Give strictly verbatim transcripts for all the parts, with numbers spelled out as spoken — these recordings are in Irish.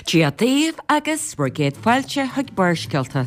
Dia daoibh agus bhur gcéad fáilte chuig Barrscéalta.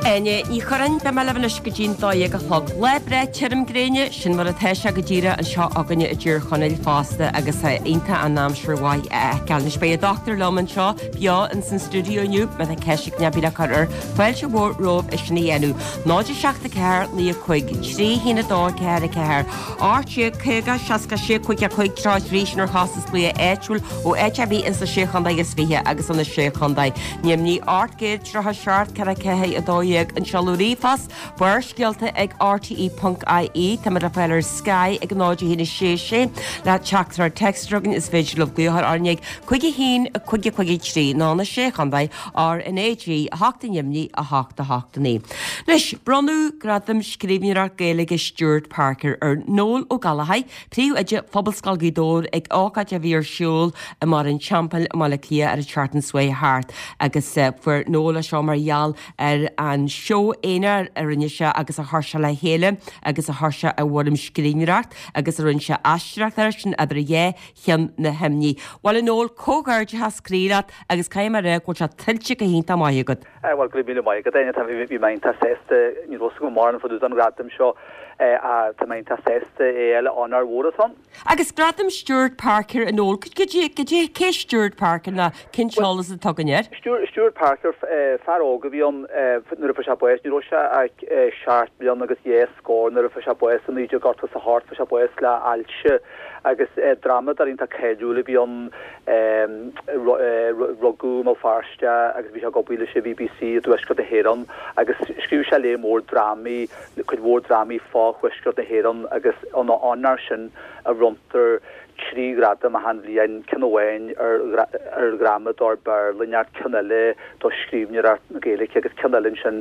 Áine Ní Churráin, beidh mé libh anois go dtí'n dó dhéag a chlog. Lá breá tirim gréine, sin mar atá sé go díreach anseo againne i dTír Chonaill fosta agus é iontach an aimsir mhaith a fheiceáil. Anois beidh an dochtúir liom anseo beo ins an stiúideo inniu, má tá ceist ag duine ar bith le cur air, fáilte mhór romhaibh é sin a dhéanamh. Náid a seacht a ceathair naoi a cúig, trí haon a dó ceathair a ceathair, ocht déag caoga seasca sé cúig a cúig tríocha trí sin ar chostas glaoch áitiúil ó áit ar bith ins na Sé Chontae is Fiche agus ó na Sé Chontae. Neamhní ocht gcéad tríocha seacht ceithre ceathair a dó dhéag an seoladh ríomhphost, Barrscéalta ag rte ponc ie. Táimid le fáil ar Sky ag náid a haon a sé sé le teachtaireacht téacs chugainn is féidir libh glaoch orainn ag cúig a haon cúig a cúig a trí nó na Sé Chontae R N A G a hocht i Neamhní a hocht a hocht a naoi. Anois, bronnadh Gradam Scríbhneoireacht Gaeilge Stewart Parker ar Noel Ó Gallchóir, Príomhoide Phobalscoil Ghaoth Dobhair ag ócáid a bhí ar siúl i mBarr an Teampaill i mBaile Átha Cliath ar an tseachtain seo chuaigh thart agus fuair Noel é seo mar gheall ar an seó aonair a rinne sé agus a chuir sé le chéile agus a chuir sé i bhfoirm scríbhneoireacht agus a rinne sé aisteoireacht air sin Idir Dhá Cheann na hImní. Bhuel a Noel, comhghairdeachas croí leat agus caithfidh mé a rá go bhfuil sé tuillte go hiontach maith agat. Bhuel, go raibh míle maith agat, Áine. Tá, bhí mé iontach sásta, ní raibh fhios agam mórán fá dtaobh den ghradam seo ach tá mé iontach sásta é a fháil, onóir mhór atá ann. Agus Gradam Stewart Parker a Noel, cad é, cé Stewart Parker ná cén t-eolas atá againn air? Stewart Parker, fear óg a bhí ann nuair a fuair sé bás, ní raibh sé ach seacht mbliana agus dhá scór nuair a fuair sé bás i naoi déag ochtó is a hocht, fuair sé bás le hailse agus drámadóir iontach cáiliúil a bhí ann, rugadh i mBéal Feirste agus bhí sé ag obair leis an BBC i dTuaisceart na hÉireann agus scríobh sé lear mór drámaí, cuid mhór drámaí fá Thuaisceart na hÉireann agus ina onóir sin a bhronntar trí ghradam achan bhliain, ceann amháin ar dhrámadóir Béarla inteacht, ceann eile do scríbhneoireacht na Gaeilge agus ceann eile ansin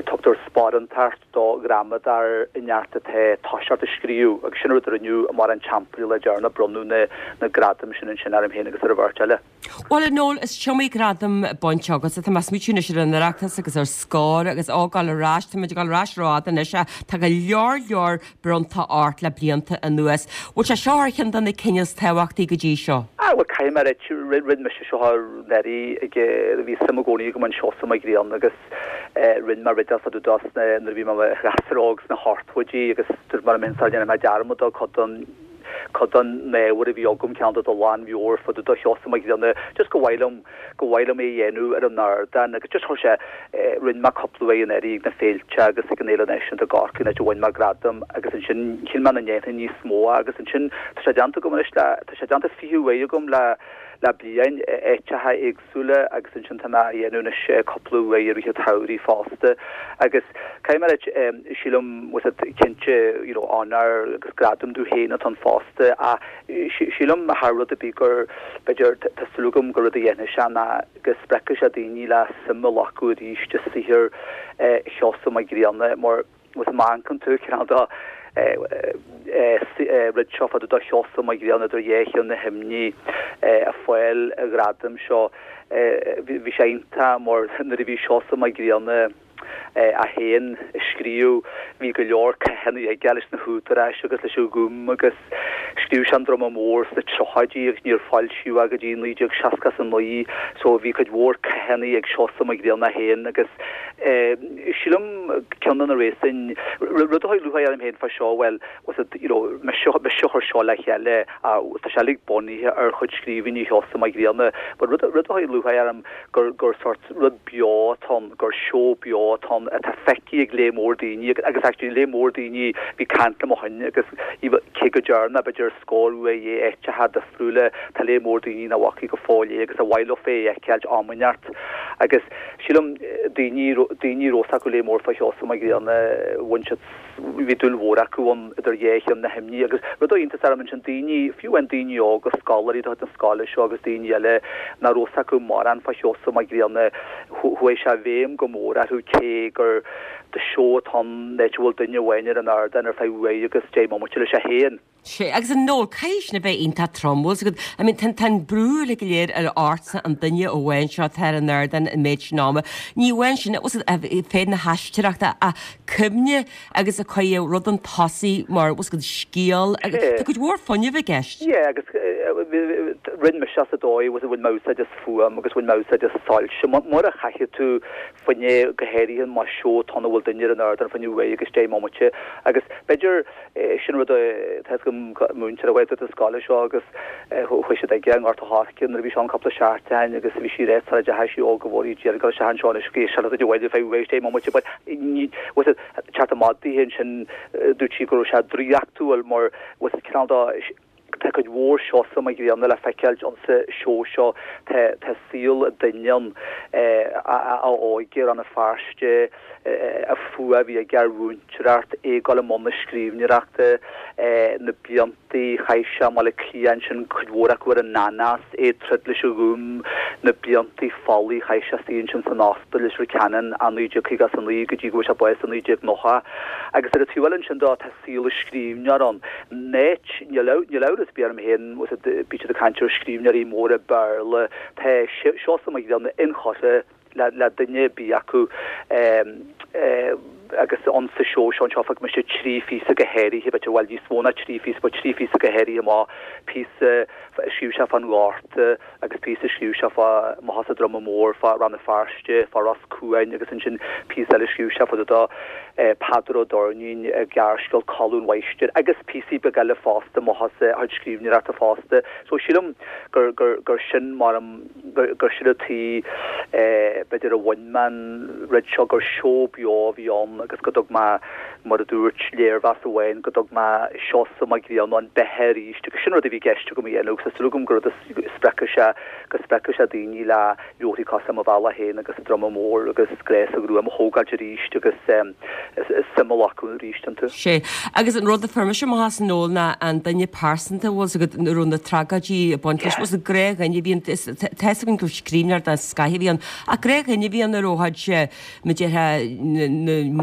tugtar sparántacht do dhrámadóir inteacht atá ag toiseacht ag scríobh agus sin an rud a rinneadh i mBarr an Teampaill le deireanas, bronnadh na gradaim sin ansin orm féin agus ar an bheirt eile. Bhuel, a Noel, is iomaí gradam bainte agat. Tá mé ag smaoitiú anois ar an Oireachtas agus ar Scór agus á gabháil ar ais, tá muid ag gabháil ar ais rófhada anois ach tá go leor leor bronnta ort le blianta anuas. Bhfuil sé seo ar cheann de na cinn is tábhachtaí go dtí seo? Ah, bhuel, caithfidh mé a rá, rinne mise seo anuraidh ag, bhí suim i gcónaí agam in Seosamh Mac Grianna agus rinne mé rud fá dtaobh dó nuair a bhí mé i mo ghasúr óg sna hochtóidí agus dúirt mé liom féin sara ndéanfaidh mé dearmad de cuid den cuid den ábhar a bhí agam, ceann de do lánmheabhair fá dtaobh de Sheosamh Mac Grianna, just gur mhaith liom, gur mhaith liom é a dhéanamh ar an ardán agus just chuir sé, rinne mé cúpla uair anuraidh ag na féilte agus ag an Fhéile Náisiúnta i gCorcaigh an áit a bhain mé gradam agus ansin shíl mé nach ndéanfainn níos mó agus ansin tá sé déanta agam anois le, tá sé déanta fiche uair agam le, le bliain i áiteacha éagsúla agus ansin tá mé á dhéanamh anois cúpla uair i rith an tsamhraidh fosta agus caithfidh mé a rá sílim bhfuil fhios agat cinnte you know onóir agus gradam domh féin atá ann fosta ach sílim thar rud ar bith gur b'fhéidir tá súil agam gur rud a dhéanfaidh sé ná go spreagfaidh sé daoine le suim a ghlacadh arís i saothar Sheosaimh Mhic Grianna mar Agus má amharcann tú cineál de rud seo fá dtaobh de Sheosamh Mac Grianna idir dhá cheann na himní ag fáil an ghradaim seo. Bhí sé iontach mar nuair a bhí Seosamh Mac Grianna é féin ag scríobh bhí go leor cathanna aige leis na húdaráis agus leis an Ghúm agus scríobh sé an Druma Mór sna tríochaidí agus níor foilsíodh é go dtí naoi déag seasca is a naoi so bhí cuid mhór cathanna ag Seosamh Mac Grianna féin agus Sílim ceann de na réasúin, rud a chuir lúcháir orm féin fá seo, bhuel, was it, you know, mise a chuir seo le chéile, tá sé uilig bunaithe ar chuid scríbhinní Sheosaimh Mhic Grianna, but rud a chuir lúcháir orm gur gur sort rud beo atá ann, gur seó beo atá ann atá feicthe ag lear mór daoine agus actually lear mór daoine bhí ag caint liom ó shin agus cé go dtearn mé b'fhéidir scór uair é in áiteacha difriúla, tá lear mór daoine nach bhfacaí go fóill é agus ar mhaith leo é a fheiceáilt am inteacht agus sílim daoine, daoine a raibh fhios acu lear mór fá Sheosamh Mac Grianna, bhain siad, bhí dúil mhór acu ann idir dhá cheann na himní agus rud a chuir iontas orm ansin, daoine, fiú amháin daoine óga, scoláirí de chuid na scoile seo agus daoine eile nach raibh fhios acu mórán fá Sheosamh Mac Grianna, chuaigh sé i bhfeidhm go mór orthu cé gur de seó atá ann, áit a bhfuil duine amháin ar an ardán ar feadh uair agus deich mbomaite leis é féin. Sé agus a Noel caithfidh sin a bheith iontach trom bhfuil agat I mean tá an brú le go léir ar ortsa an duine amháin seo atá ar an ardán an méid sin ama. Ní amháin sin féith na haisteoireachta a cuimhne agus a chuir rud an tosaigh mar bhfuil agat scéal agus tá cuid mhór fuinnimh i gceist. Yeah agus rinne mise sa dóigh was bhain mé úsáid as fuaim agus bhain mé úsáid as soilse mar a chaithfidh tú fuinne go háirithe más seó atá ann a bhfuil duine ar an ardán fá choinne uair agus deich mbomaite agus b'fhéidir sin rud tá go múinteoir a bheith do scoile seo agus chuaigh siad ag an nGort a' Choirce nuair a bhí seo an cúpla seachtain agus bhí sí réit sara deachaigh sí ó go bhfuair d'iarraidh go sean seo anois go sean a bhfuil fé uair deich mbomaite but was it teacht amach di ansin dúirt sí go raibh sé draíochtúil mar was it cineál dá Tá cuid mhór Seosamh Mac Grianna le feiceáil insa seó seo. Tá saol duine ann, a óige, Rann na Feirste, an fuath a bhí aige ar mhúinteoireacht, é ag dul i mbun na scríbhneoireachta, na blianta a chaith sé i mBaile Átha Cliath ansin, cuid mhór acu ar an anás, é ag troid leis an Ghúm, na blianta folaigh a chaith sé istigh ansin san Ospidéal Leitir Ceanainn ó naoi déag caoga is a naoi go dtí go bhfuair sé bás i naoi déag nócha. Agus ar an taobh eile ansin de, tá saol an scríbhneora ann. Neit, níl amhras ar bith orm féin, bíonn siad ag caint ar scríbhneoirí móra Béarla, tá Seosamh Mac Grianna inchurtha le duine ar bith acu agus ann sa seó seo anseo phioc mise trí phíosa go háirithe, b'fhéidir, bhuel níos mó ná trí phíosa, but trí phíosa go háirithe amach, píosa a scríobh sé fán Ghorta agus píosa a scríobh sé fá amach as an Droma Mór, fá Rann na Feirste, fá Ros Cuain agus ansin píosa eile a scríobh sé fá dtaobh de Peadar Ó Doirnín, gearrscéal Codladh an Mháistir agus píosaí beaga eile fosta, amach as a chuid scríbhneoireachta fosta. So sílim gur gur gur sin mar gur gur sin an tuige b'fhéidir a bhain mé an rud seo gur seó beo a bhí ann agus go dtug mé mar a dúirt léirmheas amháin go dtug mé Seosamh Mac Grianna beatha arís agus sin rud a bhí i gceist agam a dhéanamh agus tá súil agam gur rud a spreagfaidh sé go spreagfaidh sé daoine le leabharthaí cosúil le Mo Bhealach Féin agus An Droma Mór agus Grá sa Ghruaim a thógáilt arís agus suim a ghlacadh arís iontu. Sé. Agus an rud a fuair mise amach as Noel ná an duine pearsanta bhfuil 's agat a raibh na tragóidí ag baint leis, bhfuil 's agat gnáthdhuine a bhí ann, tá 'fhios againn gur scríbhneoir den scoth a bhí ann, ach gnáthdhuine a bhí ann a raibh a chuid, mar a déarfá,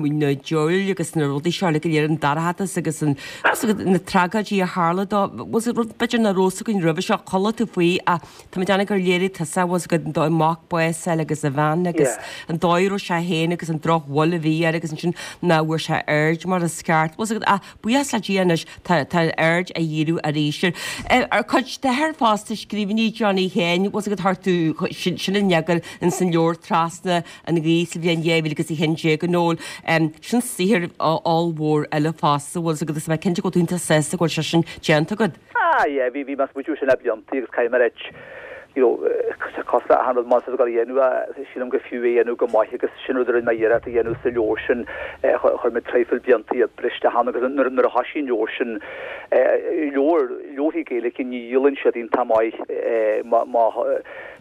na diabhail agus na rudaí seo uilig go léir, an dorchadas agus an, bhfuil 's agat, na tragóidí a tharla dó, bhfuil 's agat, rud b'fhéidir nach raibh 's againn roimhe seo, chuala tú faoi ach tá mé ag déanamh gur léirigh tusa, bhfuil 's agat, an dóigh a mac bás a fháil agus a bhean agus an dóigh a raibh sé féin agus an drochbhail a bhí air agus ansin nach bhfuair sé aird mar is ceart. Bhfuil 's agat, ach buíochas le Dia anois tá tá aird á dhíriú arís air. Ar chuid d'athair fosta scríbhinní Johnny Sheáin, bhfuil 's agat chuir tú sin sin in eagar ins an leabhar Trasna an Ghaoth sa bhliain dhá mhíle agus a haon déag a Noel. Sin saothar ollmhór eile fosta, bhfuil 's agat, agus tá mé cinnte go bhfuil tú iontach sásta go bhfuil sé sin déanta agat. Ah yeah, bhí bhí mé ag smaoitiú sin le blianta agus caithfidh mé a ráit, you know, cosúil le achan rud más ag dul a dhéanamh, sílim gur fiú é a dhéanamh go maith agus sin rud a rinne mé iarracht a dhéanamh sa leabhar sin, chuir mé traidhfil blianta oibre isteach ann agus nuair nuair a thoisigh an leabhar sin, leabhar, leabharthaí Gaeilge ní dhíolann siad iontach maith má má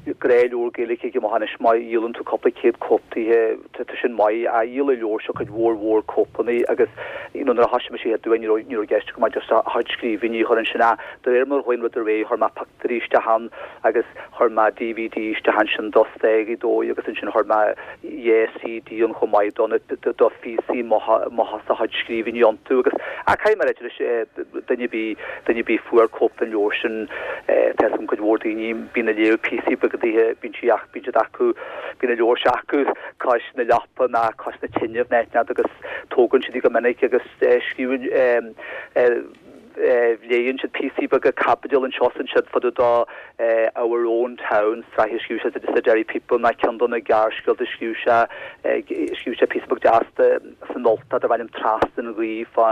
gnáthleabhar Gaeilge ag amach anois má dhíolann tú cúpla céad cóip daoithe tá sin maith ach dhíol an leabhar seo cuid mhór mhór cóipeanna agus you know nuair a thoisigh mise a dhéanamh ní raibh ní raibh i gceist agam ach just a chuid scríbhinní a chur ansin ach de réir mar a chuaigh an rud ar aghaidh chuir mé pictiúirí isteach ann agus chuir mé DVD isteach ansin do Stáigh Dóigh agus ansin chuir mé dhá CD ann chomh maith do na do phíosaí amach as a chuid scríbhinní iontu agus ach caithfidh mé a ráit leis duine ar bith duine ar bith a fuair cóip den leabhar sin tá 'fhios agam cuid mhór daoine bíonn ag léamh píosaí beaga daoithe bíonn sí ach bíonn siad acu bíonn an leabhar seo acu cois na leapa ná cois na tine nó áit inteacht agus tógann siad í go minic agus scríobhann léann siad píosaí beaga caibidil anseo is ansiúd fá dtaobh de Our Own Town, sraith a scríobh sé sa Derry People ná ceann de na gearrscéalta a scríobh sé, scríobh sé píosa beag deas san Ultach darb ainm Trasna an Ghaoth fá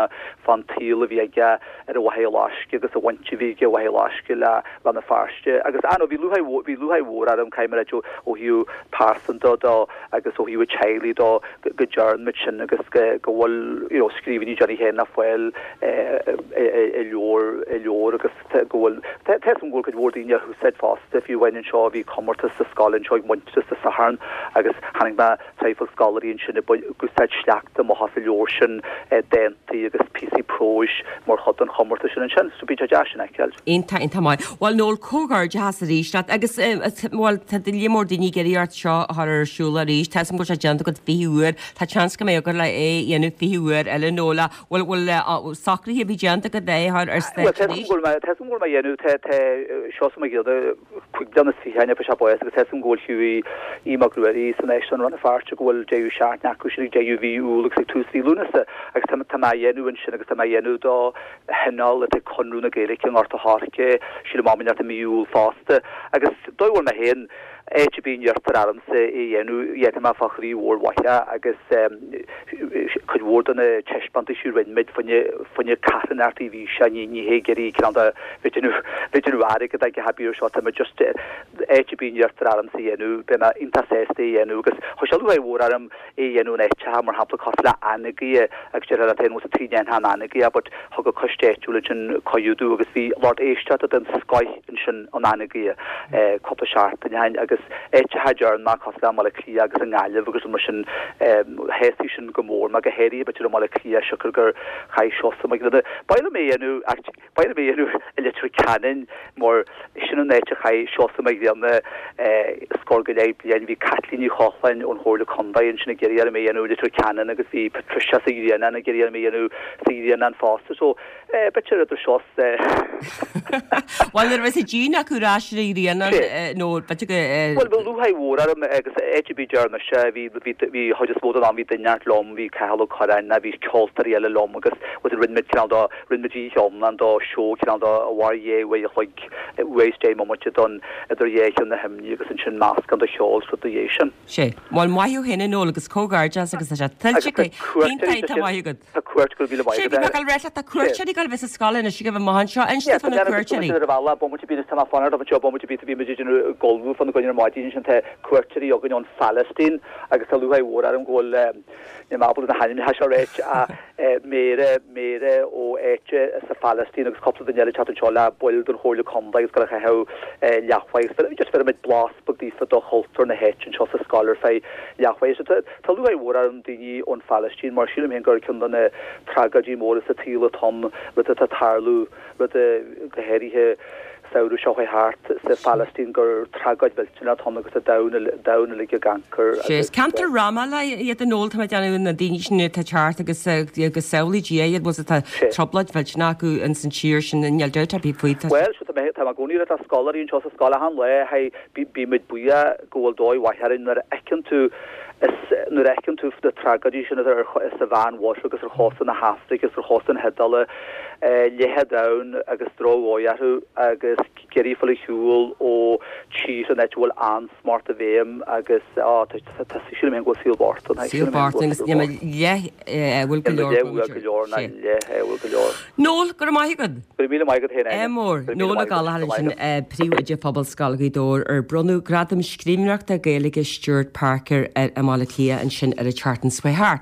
fán tsaol a bhí aige ar an Mhachaire Loiscthe agus an bhaint a bhí aige Mhachaire Loiscthe le Rann na Feirste agus ah no bhí lúcháir bhí lúcháir mhór orm caithfidh mé a ráit ó thaobh pearsanta de agus ó thaobh an teaghlaigh de go dtearn muid sin agus go go bhfuil you know scríbhinní Johnny Sheáin le fáil i leabhar i leabhar agus go bhfuil tá 'fhios agam go bhfuil cuid mhór daoine á húsáid fosta fiú amháin anseo bhí comórtas sa scoil anseo ag Muintearas Dé Sathairn agus chonaic mé traidhfil scoláirí ansin ag úsáid sleachta amach as an leabhar sin dántaí agus píosaí próis mar chuid den chomórtas sin ansin so bíonn sé deas sin a fheiceáil. Iontach, iontach maith. Bhuel Noel, comhghairdeachas arís leat agus bhuel tá líon mór daoine ag iarraidh ort seo a chur ar siúl arís. Tá 'fhios agam go bhfuil sé déanta agat fiche uair. Tá seans go mbeidh agat le é a dhéanamh fiche uair eile Noel. Bhfuil bhfuil socruithe ar bith déanta agat é é a chur ar stáitse arís? Bhuel, tá súil agam go bhfuil mé a dhéanamh, tá tá Seosamh Mac Grianna cúig bliana is fiche ó fuair sé bás agus tá súil agam go bhfuil fiú Aodh Mac Ruairí san Áislann Rann na Feirste go bhfuil deireadh seachtaine acu sin ag deireadh mhí Iúil agus ag tús mhí Lúnasa agus tá tá mé a dhéanamh ansin agus tá mé a dhéanamh do thionól atá ag Conradh na Gaeilge i nGort a' Choirce, sílim am inteacht i mí Iúil fosta agus dóigh a bhfuil mé féin áit ar bith a n-iarrtar ormsa é a dhéanamh, dhéanfaidh mé fá chroí mhór mhaith é agus cuid mhór de na taispeántais a rinne muid fá choinne carthanachtaí a bhí sé, ní ní hé ag iarraidh cineál de bheith ag déanamh bheith ag déanamh airgead ag a bith seo, tá mé just áit ar bith a n-iarrtar ormsa a dhéanamh, beidh mé iontach sásta é a dhéanamh agus chuir sé lúcháir mhór orm é a dhéanamh in áiteacha mar shampla cosúil le Anagaire agus déarfá leat féin bhuel cad chuige a ndéanfá in Anagaire but thug an coiste áitiúil ansin cuireadh domh agus bhí lucht éisteachta den scoith ansin in Anagaire cúpla seachtain ó shin agus áiteacha deireanach cosúil le Baile Átha Cliath agus i nGaillimh agus mar sin shásaigh sin go mór mé go háirithe b'fhéidir i mBaile Átha Cliath siocair gur chaith Seosamh Mac Grianna. Ba mhaith liom é a dhéanamh ach ba mhaith liom é a dhéanamh i Leitir Ceanainn mar sin an áit a chaith Seosamh Mac Grianna scór go leith bliain. Bhí Caitlín Ní Chochláin ón Chomhairle Contae ansin ag iarraidh orm é a dhéanamh i Leitir Ceanainn agus bhí Patricia sa Ghrianán ag iarraidh orm é a dhéanamh sa Ghrianán fosta. So b'fhéidir idir seo Bhuel nuair a bheas an díon acu ar ais ar an Ghrianán nó b'fhéidir go. Bhuel bhí lúcháir mhór orm agus áit ar bith a ndearna mise bhí bhí bhí chuid is mó den am bhí duine inteacht liom, bhí Cathal Ó Curráin ná bhí ceoltóirí eile liom agus bhuel rinne muid cineál de rinne muid oíche iomlán do seó cineál de a mhair dhá uair a chloig uair is deich mbomaite don idir dhá cheann na himní agus ansin meascán de cheol is rud dá dhiaidh sin. Sé. Bhuel maith thú féin a Noel agus comhghairdeas agus tá sé tuillte Agus tá cuairteoirí Iontach tá maith agat. Tá cuairt go raibh míle maith Sé agat. bhí mé ag dul a rá leat tá cuairteoirí ag dul a bheith sa scoil anois ag a bheith amach anseo. Inis Yeah, dom fá tá na mé cuairteoirí. ar an bhealach bomaite bíonn tá mé fanacht anseo bomaite bíonn bhí muid ag déanamh ullmhú fá choinne ar maidin ansin tá cuairteoirí againn ón Phalaistín agus tá lúcháir mhór orm go bhfuil níl mé ábalta na hainmneacha seo a ráit ach Méara Méara ó áit sa Phalaistín agus cúpla duine eile ag teacht anseo le baill den Chomhairle Contae agus ag dul a chaitheamh leathuair agus just bheir muid blas beag daofa do chultúr na háite anseo sa scoil ar feadh leathuair. So tá tá lúcháir mhór orm daoine ón Phalaistín mar sílim féin gur ceann de na tragóidí móra sa tsaol atá ann rud atá ag tarlú rud go háirithe samhradh seo chuaigh thart sa Phalaistín gur tragóid mhillteanach atá ann agus an domhan domhan uilig ag amharc Sé is agus ceantar Ramallah iad a Noel tá mé ag déanamh na daoine sin atá ag teacht agus agus samhlaigh Dia iad bhfuil tá trioblóid mhillteanach acu ins an tír sin níl dabht ar bith faoi. Tá Bhuel seo tá mé tá mé i gcónaí le tá scoláirí anseo sa scoil achan lá hey bí muid buíoch go bhfuil dóigh mhaith orainn nuair a fheiceann tú is nuair a fheiceann tú na tragóidí sin atá ar sa Mheánmhuir agus ar chósta na hAfraice agus ar chósta na hIodáile leath an domhain agus drochdhóigh orthu agus ag iarraidh fáil ar shiúl ó tír an áit a bhfuil ansmacht i bhfeidhm agus á tá sílim féin go bhfuil saol bocht ann Saol bocht agus níl mé leith bhfuil go leor leith go leor ná leith bhfuil go leor. Noel go raibh maith agat. Go raibh míle maith agat féin É Áine. mór Go raibh míle Noel Ó maith agat. Gallchóir Go raibh sin maith agat. príomhoide Phobalscoil Ghaoth Dobhair ar bronnadh gradam scríbhneoireachta Gaeilge Stuart Parker ar i mBaile Átha Cliath ansin ar an tseachtain seo thart.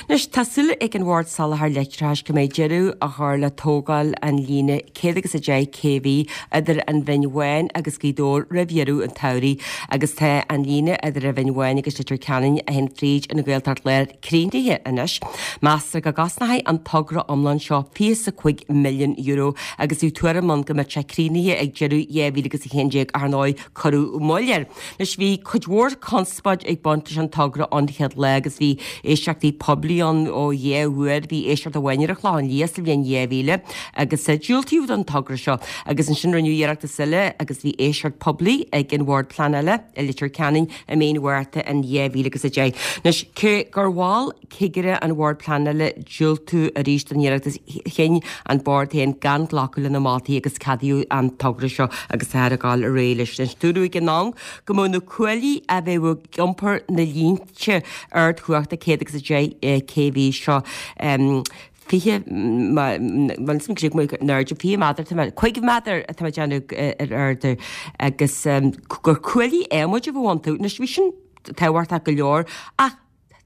Anois tá súil ag an Bhord Soláthair Leictreachais go mbeidh deireadh a chur le tógáil an líne céad agus a deich kV idir an Bhinn Bháin agus Gaoth Dobhair roimh dheireadh an tsamhraidh agus tá an líne idir an Bhinn Bháin agus Leitir Ceanainn a théann fríd an Ghaeltacht Láir críochnaithe anois. Meastar go gcosnóidh an togra iomlán seo fiche cúig milliún euro agus bhí tuairim ann go mbeadh sé críochnaithe ag deireadh dhá mhíle agus a haon déag ar ndóigh cuireadh moill air. Anois bhí cuid mhór conspóid ag baint leis an togra an chéad lá agus bhí éisteachtaí poiblí ann ó dhá uair bhí éisteacht amháin ar an Chlochán Liath sa bhliain dhá mhíle agus diúltaíodh don togra seo agus ansin rinneadh iarracht eile agus bhí éisteacht poiblí ag an Bhord Pleanála i Leitir Ceanainn i mí an Mhárta in dhá mhíle agus a deich. Anois cé gur mhol cigire an Bhord Pleanála diúltú arís don iarratas chinn an bord féin gan glacadh lena moltaí agus ceadaíodh an togra seo agus tá ag dul ar aghaidh leis. Anois dúradh ag an am go mbeadh na cuaillí a bheadh ag iompar na línte ardchumhachta céad agus a deich kV seo um, fiche airde fiche méadar cúig mhéadar atá déanamh ar airde agus gur cuaillí adhmaid a bheadh iontu anois bhí sin tábhachtach go leor ach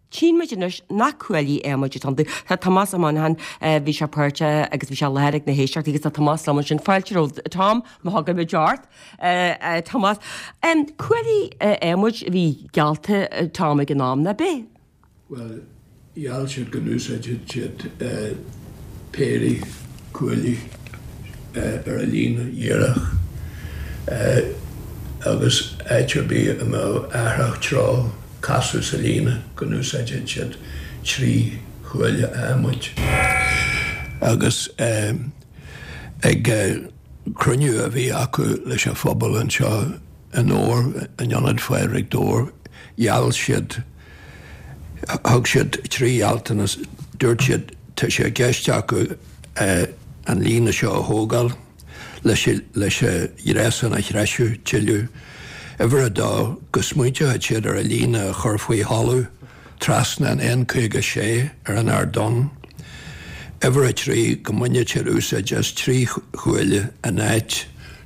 Tchíonn muid anois nach cuaillí adhmaid atá iontu. Tá Tomás Ó Monacháin bhí sé páirteach agus bhí sé i láthair ag na héisteachtaí agus tá Tomás liom ansin fáilte romhat Tom má thugann muid ort Tomás. Cuaillí adhmaid a bhí geallta Tom ag an am nach ea? Well, gheall siad go n-úsáidfeadh siad péirí cuaillí ar a líne dhíreach agus áit ar bith a mbeadh athrach treo casadh sa líne go n-úsáidfeadh siad trí chuaille adhmaid. Agus Ag cruinniú a bhí acu leis an phobal anseo in Dobhar, in Ionad Phádraig Dobhar, gheall siad, thug siad trí ghealltanas, dúirt siad tá sé i gceist acu an líne seo a thógáil leis leis an ghréasán a threisiú tuilleadh. Uimhir a dó, go smaointeodh siad ar an líne a chur faoi thalamh trasna an N caoga sé ar an Ard Donn. Uimhir a trí, go mbainfeadh siad úsáid as trí chuaille in áit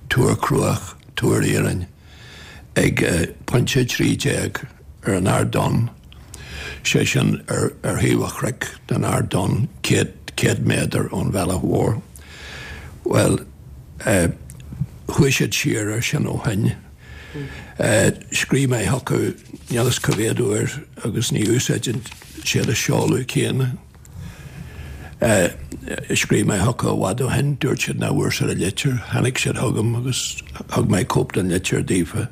túr cruach, túr iarainn, ag pointe trí déag ar an Ard Donn, sé sin ar ar thaobh an chnoic den Ard Donn, céad céad méadar ón bhealach mhór. Bhuel, chuaigh siad siar ar sin ó shin. Scríobh mé chucu níl fhios cá mhéad uair agus ní úsáideann siad an seoladh céanna. Scríobh mé chucu i bhfad ó shin, dúirt siad nach bhfuair siad an litir, tháinig siad chugam agus thug mé cóip den litir daofa.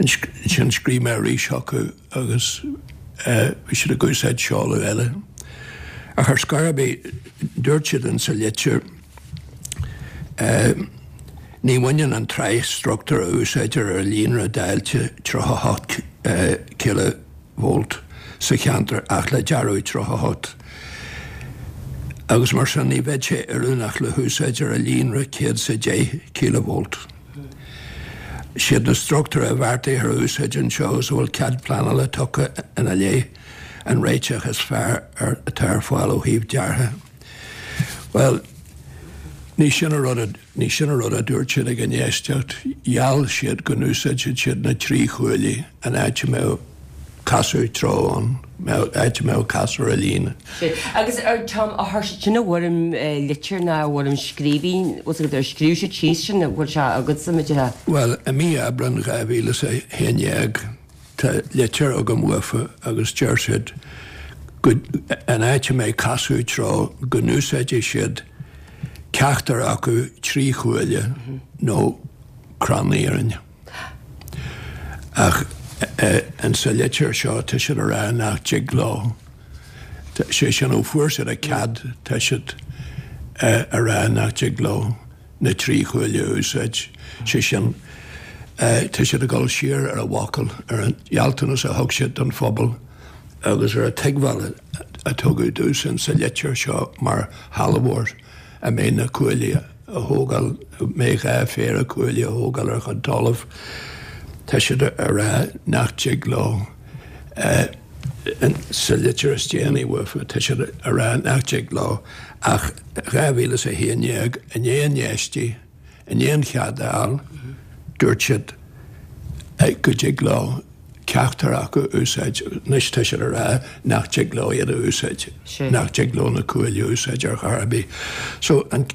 Ansin scríobh mé arís chucu agus bhí siad ag úsáid seoladh eile. Ach ar scor ar bith, dúirt siad in sa litir, Ní bhaineann an tsraith struchtúr a úsáidtear ar líonra dáilte tríocha a hocht cíleavolt sa cheantar ach le dearadh tríocha a hocht agus mar sin ní bheidh sé oiriúnach le húsáid ar líonra céad is a deich cíleavolt. Siad na struchtúir a bheartaítear a úsáid anseo agus a bhfuil cead pleanála tugtha ina leith an réiteach is fearr atá ar fáil ó thaobh deartha. Bhuel, ní sin an rud a, ní sin an rud a dúirt siad ag an éisteacht. Gheall siad go n-úsáidfeadh siad na trí chuaillí an áit a mbeadh casadh treo ann, áit a mbeadh casadh ar an líne. Agus ar Tom, a chuir siad sin i bhfoirm litir nó i bhfoirm scríbhinn, bhfuil a fhios agat, ar scríobh siad síos sin, bhfuil sé agatsa, mar a. Bhuel, i mí Aibreán dhá mhíle is a haon dhéag, Tá litir agam uafa agus deir siad go, an áit a mbeidh casadh treo, go n-úsáidfidh siad ceachtar acu trí chuaille nó crann iarainn. Ach in sa litir seo tá siad a rá nach dtig leo, sé sin ó fuair siad a cead tá siad a rá nach dtig leo. na trí chuaille a úsáid, sé sin, tá siad ag dul siar ar a bhfocal, ar an ghealltanas a thug siad don phobal agus ar an tuigbheáil a tugadh domhsa sa litir seo mar shealbhóir a mbeidh na cuaillí a thógáil, a mbeidh dhá phéire cuaillí a thógáil ar a chuid talaimh. Tá siad a rá nach dtig leo. Sa litir is déanaí uafa, tá siad a rá nach dtig leo ach dhá mhíle is a haon déag, i ndiaidh an éistí, i ndiaidh an chead a fháil, dúirt siad go dtig leo ceachtar acu a úsáid. Anois tá siad a rá nach dtig leo iad a úsáid, nach dtig leo na cuaillí a úsáid ar chor ar bith. So, an.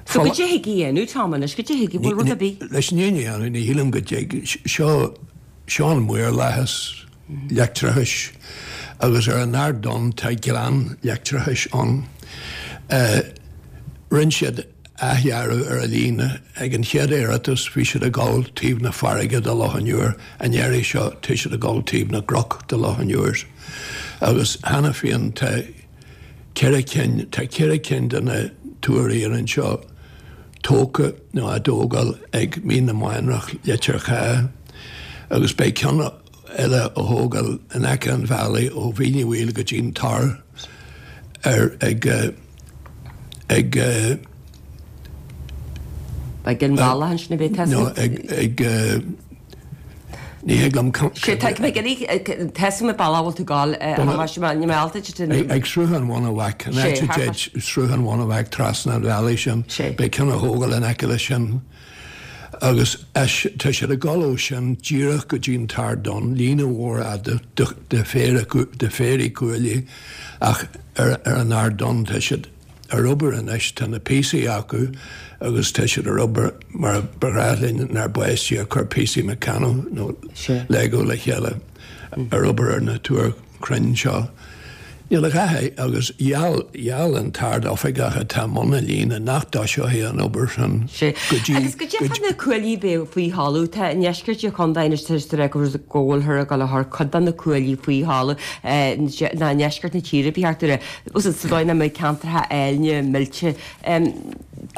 So goidé a thig a dhéanamh, Tom, anois, goidé a thig, an bhfuil rud ar bith? Leis an fhírinne a dhéanamh, ní shílim go dtig. Seo, seo an maorlathas. leictreachais agus ar an Ard Donn tá gleann leictreachais ann. Rinne siad athdhearadh ar an líne. Ag an chéad iarratas bhí siad ag dul taobh na farraige de Loch an Iúir, an iarraidh seo tá siad ag dul taobh na gcnoc de Loch an Iúir. Agus cheana féin tá ceithre cinn, tá ceithre cinn de na túir iarainn seo tógtha nó á dtógáil ag Mín na Mánrach, Leitir Chath agus beidh ceann eile á thógáil in aice an bhealaigh ó Mhín Uí Bhaoill go dtí'n Tor ar ag ag Ag an bhealach ansin a bheidh no ag ag ní thig liom Sé tá mé ag iarraidh tá mé bealach bhfuil tú ag gabháil ní mé alta Ag Sruthán Bhun a' Mhac an áit a dtéid Sruthán Bhun a' Mhac trasna an bhealaigh sin beidh ceann á thógáil in aice leis sin. Agus tá siad ag dul ó sin díreach go dtí an tArd Donn, líne mhór fhada de phéirí cuaillí, ach ar an Ard Donn tá siad ar obair anois, tá na píosaí acu agus tá siad ar obair mar ba ghnách linn inár bpáistí ag cur píosaí Meccano nó Lego le chéile, ar obair ar na túir chruinn seo. Níl a dhath agus gheall gheall an tArd-Oifigeach atá i mbun na líne nach dtoiseoidh an obair sin go dtí Agus go dtí na cuaillí bheith faoi thalamh tá i ndeisceart an chontae anois tá sé go go bhfuilthear ag dul a chur cuid de na cuaillí faoi thalamh ná i ndeisceart na tíre ba cheart dúinn sa dóigh nach mbeidh ceantracha áilne millte.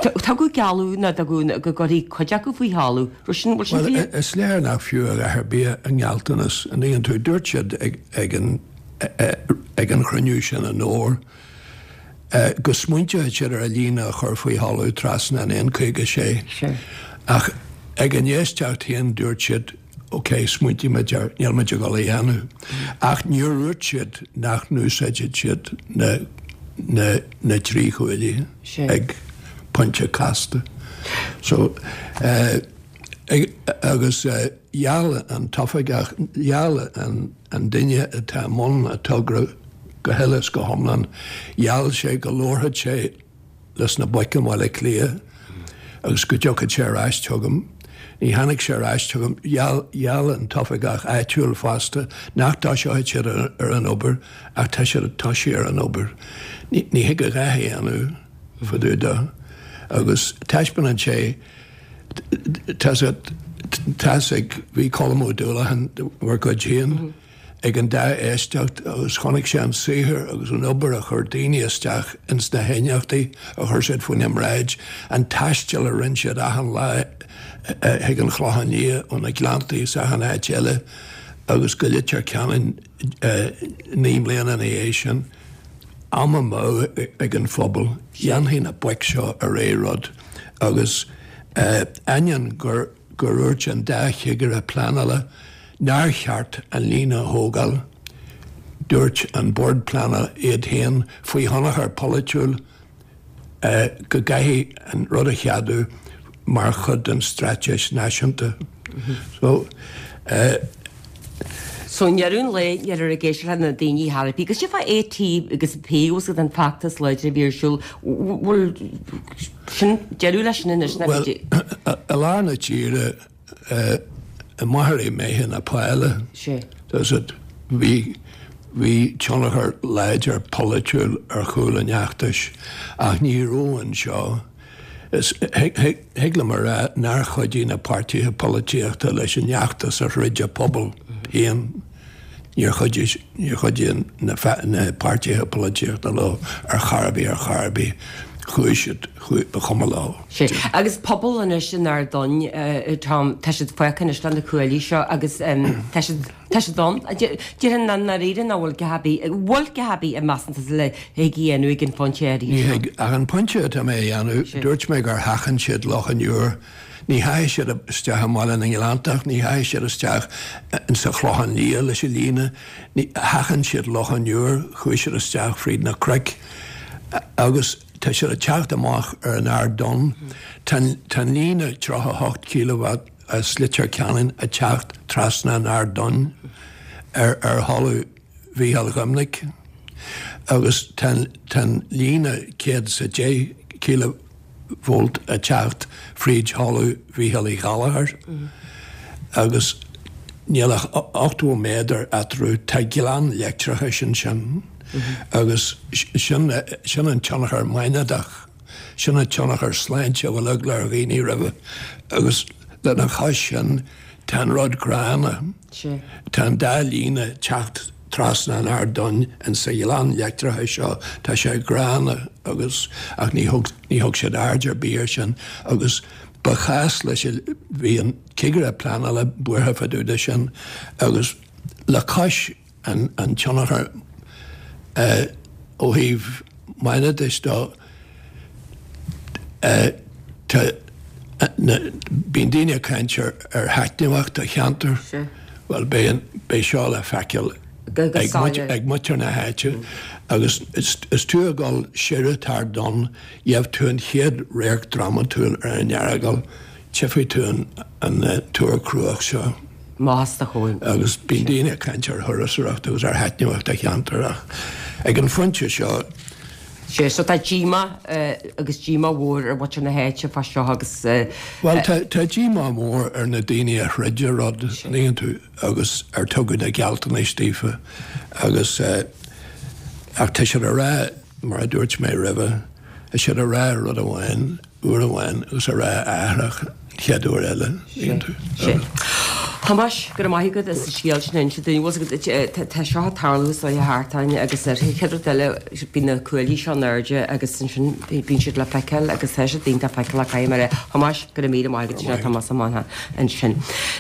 Tugadh gealladh ná tugadh go gcuirfí cuid acu faoi thalamh. Raibh sin bhfuil sin Bhuel is léir nach fiú a dhath ar bith a ngealltanas an dtuigeann tú. Dúirt siad ag ag an ag an chruinniú sin i nDobhar go smaointeodh siad ar an líne a chur faoi thalamh trasna an N caoga sé. Ach ag an éisteacht féin dúirt siad ok, smaointímid air, níl muid ag dul a dhéanamh. Ach níor dhúirt siad nach n-úsáidfidh siad na, na, na trí chuaillí ag pointe casta. So, eh, agus gheall an t-oifigeach, gheall an an duine atá i mbun an togra go huile is go hiomlán, gheall sé go labharfadh sé leis na boic i mBaile Átha Cliath agus go dtiocfadh sé ar ais chugam. Ní tháinig sé ar ais chugam. Gheall, gheall an t-oifigeach áitiúil fosta nach dtoiseoidh siad ar an obair ach tá siad ag toisí ar an obair. Ní, ní thig a dhath a dhéanamh fá dtaobh de. Agus taispeánann sé, tá tá's ag, bhí Colm Ó Dúlacháin, bhur gcuid féin, ag an dá éisteacht agus chonaic sé an saothar agus an obair a chuir daoine isteach ins na haighneachtaí a chuir siad faoina mbráid, an taisteal a rinne siad achan lá chuig an Chlochán Liath ó na Gleanntaí is achan áit eile agus go Leitir Ceanainn naoi mbliana ina dhiaidh sin. Am amú ag an phobal. Dhéanfaidh na boic seo ar rud agus ainneoin gur gur dhúirt an dá chigire pleanála nár cheart an líne a thógáil, dúirt an Bord Pleanála iad féin faoi thionchar polaitiúil go gcaithfidh an rud a cheadú mar chuid den straitéis náisiúnta. So, So i ndeireadh an lae níl ar ag éisteacht le na daoine thar a bith. Agus sin fá AT agus P agus an feachtas láidir a bhí ar siúl, bhfuil sin deireadh leis sin anois? Bhuel, i lár na tíre, i Machaire Méithe na Páile, does it, bhí, bhí tionchar láidir polaitiúil ar chúl an fheachtais ach ní raibh anseo. Is thig liom a rá nár chuidigh na páirtithe polaitíochta leis an fheachtas a throid an pobal féin. Níor chuidigh, níor chuidigh na na páirtithe polaitíochta leo ar chor ar bith, ar chor ar bith. Chuaigh siad, chuaigh, ba chuma leo. Sea. Agus pobal anois in Ard Donn, Tom, tá siad fágtha anois le na cuaillí seo agus tá siad, Tá siad ann. Déarfainn i ndáiríre nach bhfuil a dhath ar bith, bhfuil a dhath ar bith a measann tusa le thig a dhéanamh ag an phointe áirithe Ní seo. thig. Ach an pointe atá mé a dhéanamh, dúirt mé gur sheachain siad Loch an Iúir. Ní theachaigh siad isteach i mBaile na nGleanntach, ní theachaigh siad isteach insa Chlochán Liath leis an líne, ní, sheachain siad Loch an Iúir, chuaigh siad isteach fríd na cnoic agus tá siad ag teacht amach ar an Ard Donn. Tá an líne tríocha a hocht cíleavat as Leitir Ceanainn ag teacht trasna an Ard Donn ar ar thalamh Mhícheál Dhoimnic agus tá tá an líne céad is a deich cíleavólt ag teacht fríd thalamh Mhícheál Uí Ghallchóir agus níl ach ochtó méadar eatarthu, tá gleann leictreachais ansin agus sin sin an tionchar maighnéadach. Sin an tionchar sláinte a bhfuil eagla ar dhaoine roimhe agus lena chois sin tá an rud gránna. Tá an dá líne ag teacht trasna an Ard Donn insa ghleann leictreachais seo, tá sé gránna agus ach ní thug ní thug siad aird ar bith air sin agus ba chás leis bhí an cigire pleanála buartha fá dtaobh de sin agus le cois an an tionchar ó thaobh maighnéadais de tá na bíonn daoine ag caint ar ar thaitneamhacht do cheantar, bhuel beidh an beidh seo le feiceáil ag muintir ag muintir na háite agus is is tú ag dul siar an tArd Donn gheobhaidh tú an chéad radharc drámatúil ar an Earagail, tchífidh tú an an túr cruach seo. Maitheas do chóin. Agus bíonn daoine ag caint ar thurasóireacht agus ar thaitneamhacht do cheantar ach ag an phointe seo. Sea, so tá díomá agus díomá mhór ar mhuintir na háite fá seo agus. Bhuel, tá tá díomá mór ar na daoine a throid an rud, an dtuigeann tú, agus ar tugadh na gealltanais daofa agus Ach tá siad a rá, mar a dúirt mé roimhe, tá siad a rá rud amháin uair amháin agus a rá athrach an chéad uair eile. Sin. Thomáis, go raibh maith agat as an scéal sin a inse dúinn. Bhfuil a fhios agat, tá seo ag tarlú is dóiche thart orainn agus ar an chéad rud eile bíonn na cuaillí seo in airde agus ansin bíonn siad le feiceáil agus tá siad iontach feiceálach caithfidh mé a rá. Thomáis, go raibh míle maith agat, sin é Tomás Ó Mathúna ansin.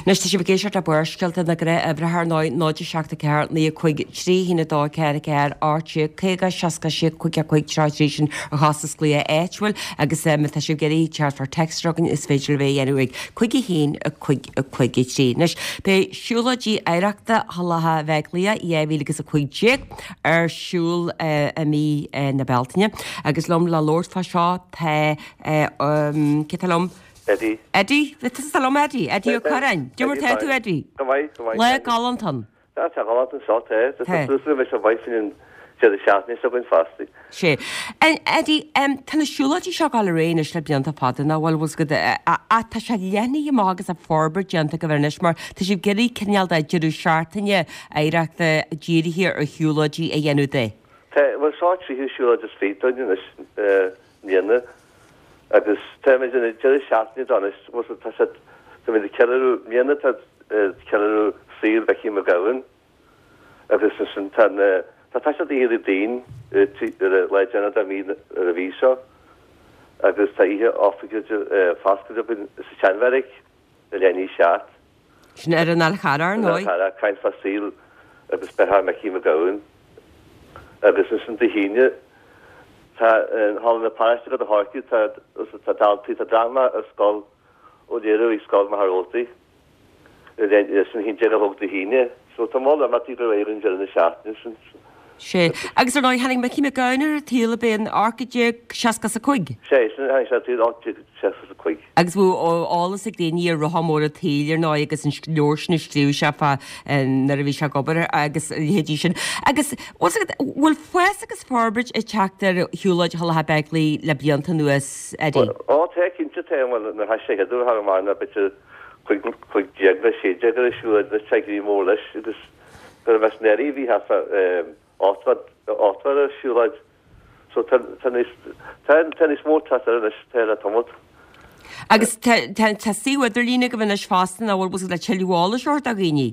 Anois tá sibh ag éisteacht le Barrscéalta na gnáthuimhreacha ar ndóigh, náid a seacht a ceathair naoi a cúig trí haon a dó ceathair a ceathair ocht déag caoga seasca sé cúig a cúig tríocha trí sin ar chostas glaoch áitiúil agus má tá sibh ag iarraidh teacht far text againn is féidir libh é a dhéanamh ag cúig a haon a cúig a cúig a trí. Anois beidh siúlóidí oidhreachta Thulacha Bheaglaoich dhá mhíle agus a cúig déag ar siúl i mí na Bealtaine agus liom le labhairt fá seo tá cé tá liom? Eddie. Eddie, tá liom Eddie, Eddie Ó Curráin. Cad é mar tá tú Eddie? Go maith, go maith. Lá galánta ann. Tá sé galánta anseo, tá. Tá suas le bheith maith faoin an deireadh seachtaine seo againn fosta. Sé. Eddie, tá na siúlóidí seo ag dul ar aghaidh anois le blianta fada, nach bhfuil, bhfuil agat, ach tá sé leathnaithe amach agus tá forbairt déanta agaibh air anois mar tá sibh ag iarraidh cineál de deireadh seachtaine oidhreachta dírithe ar shiúlóidí a dhéanamh de. Tá, bhuel seo tríú siúlóid is fiche dúinn anois i mbliana agus táimid ina deireadh seachtaine de anois, bhuel tá sé, táimid ag ceiliúradh, i mbliana tá ceiliúradh saoil Mhicí Mac Gabhann agus ansin tá na, tá taispeántas Oíche Déardaoin ar an lá deireanach de mhí ar an mhí seo agus tá oíche oifigiúil foscailte againn sa tSeanbheairic i leath i ndiaidh a seacht. Sin ar an Fhál Charrach, ar ndóigh. Ar an Fhál Charrach, caint fá saol agus beatha Micí Mac Gabhann. Agus ansin Dé hAoine tá in Halla na Paráiste ag Gort an Choirce tá tá daltaí, tá dráma ar scoil á léiriú ag Scoil Mhachaire Rabhartaigh sin a haon déag a chlog Dé hAoine. So tá moll imeachtaí go réidh an deireadh na seachtaine sin. Sé. Agus ar ndóigh tháinig Micí Mac Gabhann ar an tsaol ab é in ocht déag seasca is a cúig? Sé, sin tháinig sé ar an tsaol ocht déag seasca is a cúig. Agus bhí eolas ag daoine ar Rotha Mór an tSaoil ar ndóigh agus an leabhar sin a scríobh sé fá nuair a bhí sé ag obair agus a leithéidí sin. Agus bhfuil fhios agat, bhfuil fás agus forbairt ag teacht ar shiúlóid Thulacha Beaglaoich le blianta anuas, Eddie? Ó tá, cinnte tá, bhuel nuair a thoisigh sé an chéad uair thar am b'fhéidir cúig cúig déag nó sé déag ar an siúlóid anois tá ag éirí mór leis agus go raibh meas neirí bhí thart fá ochtó ochtó ar an siúlóid so tá tá níos tá tá níos mó teacht air anois tá le tamall. Agus tá tá tá suíomh idirlín agaibh anois fosta nach bhfuil bhfuil le tuilleadh eolais a thabhairt do dhaoine?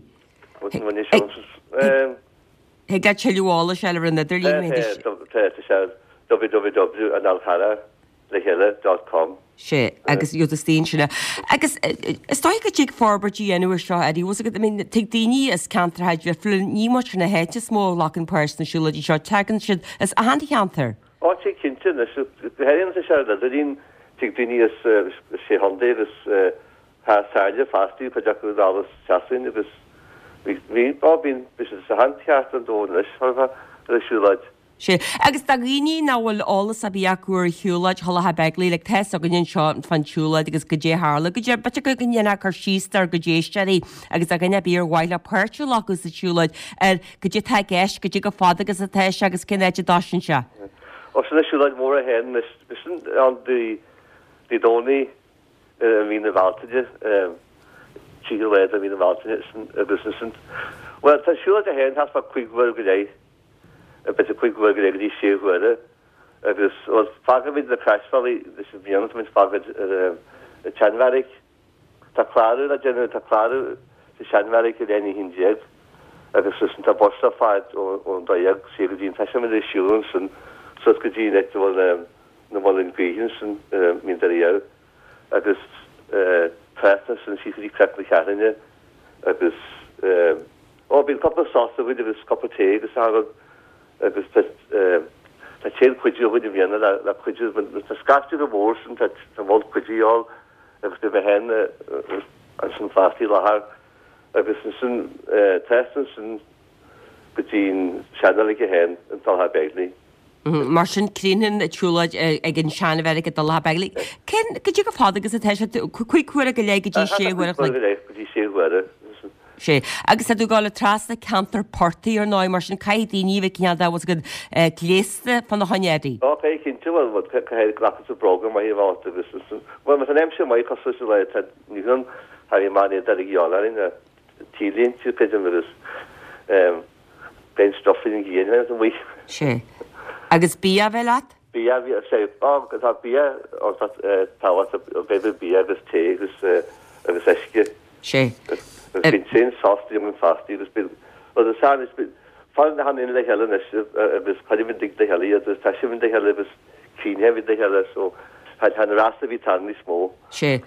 Thig le tuilleadh eolais a fháil ar an idirlíon. Tá tá tá sé www an Fhál Charrach le chéile dot com. Sé, agus iad is daoine sin. Agus is dóigh go dtig forbairt a dhéanamh ar seo, Eddie, bhfuil fhios agat, I mean, tig daoine as ceantracha difriúla, ní muintir na háite is mó a ghlacann páirt sna siúlóidí seo, tagann siad as achan cheantar. Ó, tig cinnte anois, go háirithe tá sé ar an idirlíon, tig daoine as sé chontae agus thar sáile fosta, cuid acu anall as Sasain agus bhí, bhí, ó bíonn, bhí siad as achan cheard den domhan anois, ar an siúlóid. Sé. Agus do dhaoine nach bhfuil eolas ar bith acu ar shiúlóid Thulacha Beaglaoich, like tá fhios againn anseo fán tsiúlóid agus goidé a tharla, goidé, b'fhéidir go ndéanfá cur síos dár gcuid éisteoirí agus do dhuine ar bith ar mhaith leo páirt a ghlacadh sa tsiúlóid ar goidé atá i gceist, goidé chomh fada agus atá sé agus cén áit a dtoisíonn sé. Ó sin an siúlóid mhór é féin anois, sin ann Dé Dé Domhnaigh i mí na Bealtaine, tríocha lá de mhí na Bealtaine agus ansin, bhuel tá an siúlóid é féin thart fá cúig uair go leith. B'fhéidir cúig uair go leith go dtí sé huaire agus, bhuel, fágfaimid na croisbhealaí leis an bhliain, táimid fágáil ar an tSeanbheairic. Tá clárú le déanamh, tá clárú sa tSeanbheairic i leath i ndiaidh a haon déag agus ansin tá bus le fáil ón dó dhéag siar go dtí an, toisímid ag siúl ansin suas go dtí an áit a bhfuil na muileann gaoithe ansin ar Mín Doire Dhamh agus trasna ansin síos go dtí Cnoc na Ceathrúna agus Ó, bíonn cúpla sos againn agus cúpla tae agus a rud agus tá tá tréan cuidiú againn i mbliana le le cuidiú tá scaifte go mór sin tá tá moll cuidiú a dhíobháil agus beidh mé féin ansin fosta i láthair agus ansin trasna ansin go dtí an seanreilig é féin i dTulach Beaglaoich. Mar sin, críochnaíonn an tsiúlóid ag an seanbheairic i dTulach Beaglaoich. Cén, goidé chomh fada agus atá sé, cúig huaire go leith go dtí sé huaire a chloig? Cúig huaire go leith go dtí sé huaire. Sé. Agus tá tú ag dul trasna ceantar portaigh ar ndóigh, mar sin caithfidh daoine a bheith cineál de, bhfuil fhios agat, gléasta fána choinne, Eddie. Ó, caithfidh cinnte, bhuel, bhuel, caithfidh glacadh sa bróga maith a bheith ort agus ansin, bhuel, má tá an aimsir maith cosúil leis an lá atá inniu ann, tá bhí maith ní a dhíobháil orainn, t-léinte, creidim, agus beidh an stuif faoin ghrian amuigh. Sé. Agus bia a bheith leat? Bia, bhí sé, á, tá bia, ó, tá tábhacht, beidh bia agus tae agus agus uisce. Sé. Agus bíonn sin sásta an fástaí agus bíonn, well, is is bíonn, fan na han le chéile anois agus caidimid le chéile agus tá siad le chéile agus cíneimid le chéile so tá an rasa bhí tan níos mó. Sé.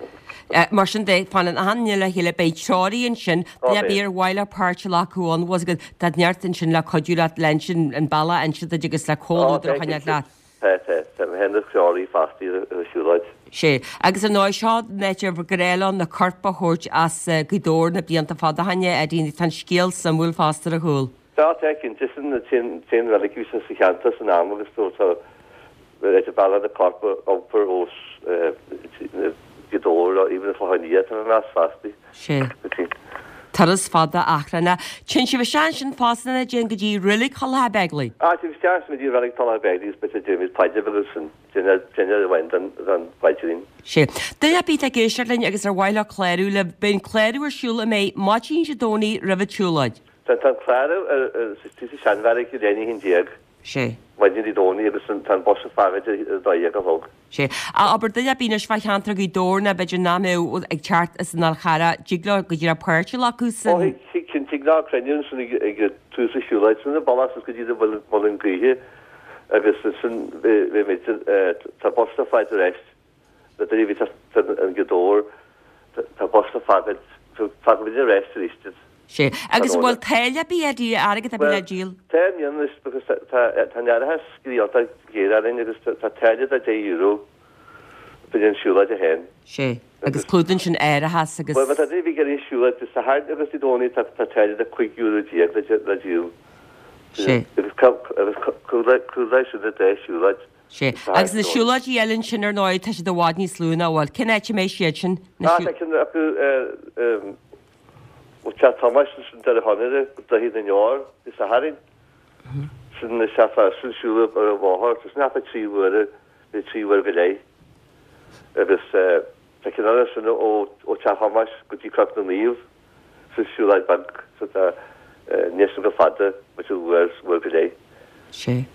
Mar sin de fanann achan duine le chéile beidh treoraí ansin duine ar bith ar mhaith leo páirt a ghlacadh ann was go tá neart ansin le cuidiú leat le ansin an bealach ansin duit agus le comhluadar a choinneáil leat. Tá, tá, tá mé féin is treoraí fostaí ar an siúlóid. Sé. Agus ar ndóigh seo an áit ar ghnách leo na coirp a thabhairt as Gaoth Dobhair na blianta fada ó shin, Eddie, tá an scéal suimiúil fosta ar a chúl. Tá, tá, cinnte, sin an t-aon reilig a bhí sa cheantar san am agus tá tá bealach na corp a iompar ó Ghaoth Dobhair even Clochán Liath tá mé meas fostaí. Sé. Turas fada achrannach. Téann sibh isteach ansin fosta a Eddie go dtí reilig Thulach Beigile. Ah, téann isteach go dtí reilig Thulach Beigile is bit déanaimid paidir agus an duine amháin den den phaidrín. Sé. Duine ar bith ag éisteacht linn agus ar mhaith leo clárú le beidh an clárú ar siúl an mbeidh maidin Dé Domhnaigh roimh an tsiúlóid. Tá an clárú ar sa seanbheairic i leith a haon déag. Sé. Maidin Dé Domhnaigh agus tá an bus ag fágaint ar a dó dhéag a chlog. Sé. Abair duine ar bith anois fá cheantar Ghaoth Dobhair ná b'fhéidir nach mbeadh ag teacht as an Fhál Charrach, dtig leo go díreach páirt a ghlacadh san. Ó thig, cinnte, tig leo cruinniú ansin ag tús an siúlóid, sin an bealach suas go dtí an Muileann Gaoithe agus ansin beimid, tá bus le fáilt ar ais na daoine a bhí in Gaoth Dobhair, tá bus le fágaint, fágfaimid ar ais arís iad. Sé. Agus an bhfuil táille ar bith Eddie, airgead ar bith le díol? Tá i mbliana anois because tá tá an árachas iontach géar orainn agus tá táille de deich euro fá choinne an siúlóid a féin. Sé. Agus clúdaíonn sin árachas agus. Bhuel má tá duine ar bith ag iarraidh siúlóid Dé Sathairn agus Dé Domhnaigh tá tá táille de cúig euro déag le le díol. Sé. Agus agus clúdaíonn sin na deich siúlóid. Sé. Agus na siúlóidí eile ansin ar ndóigh tá siad i bhfad níos lú ná bhfuil. Cén áit a mbeidh siad sin? Ah tá ceann acu ó Teach Thomáis ansin Doire Chonaire go Droichead na nDeor Dé Sathairn. Sin is ea sin siúl ar an bhóthar. Tá sin thart trí uaire nó trí uaire go leith. Agus tá ceann eile ansin ó Teach Thomáis go dtí Cnoc na Naomh. Sin siúlóid beag so tá níl sin chomh fada, b'fhéidir uair, uair go leith. Sé.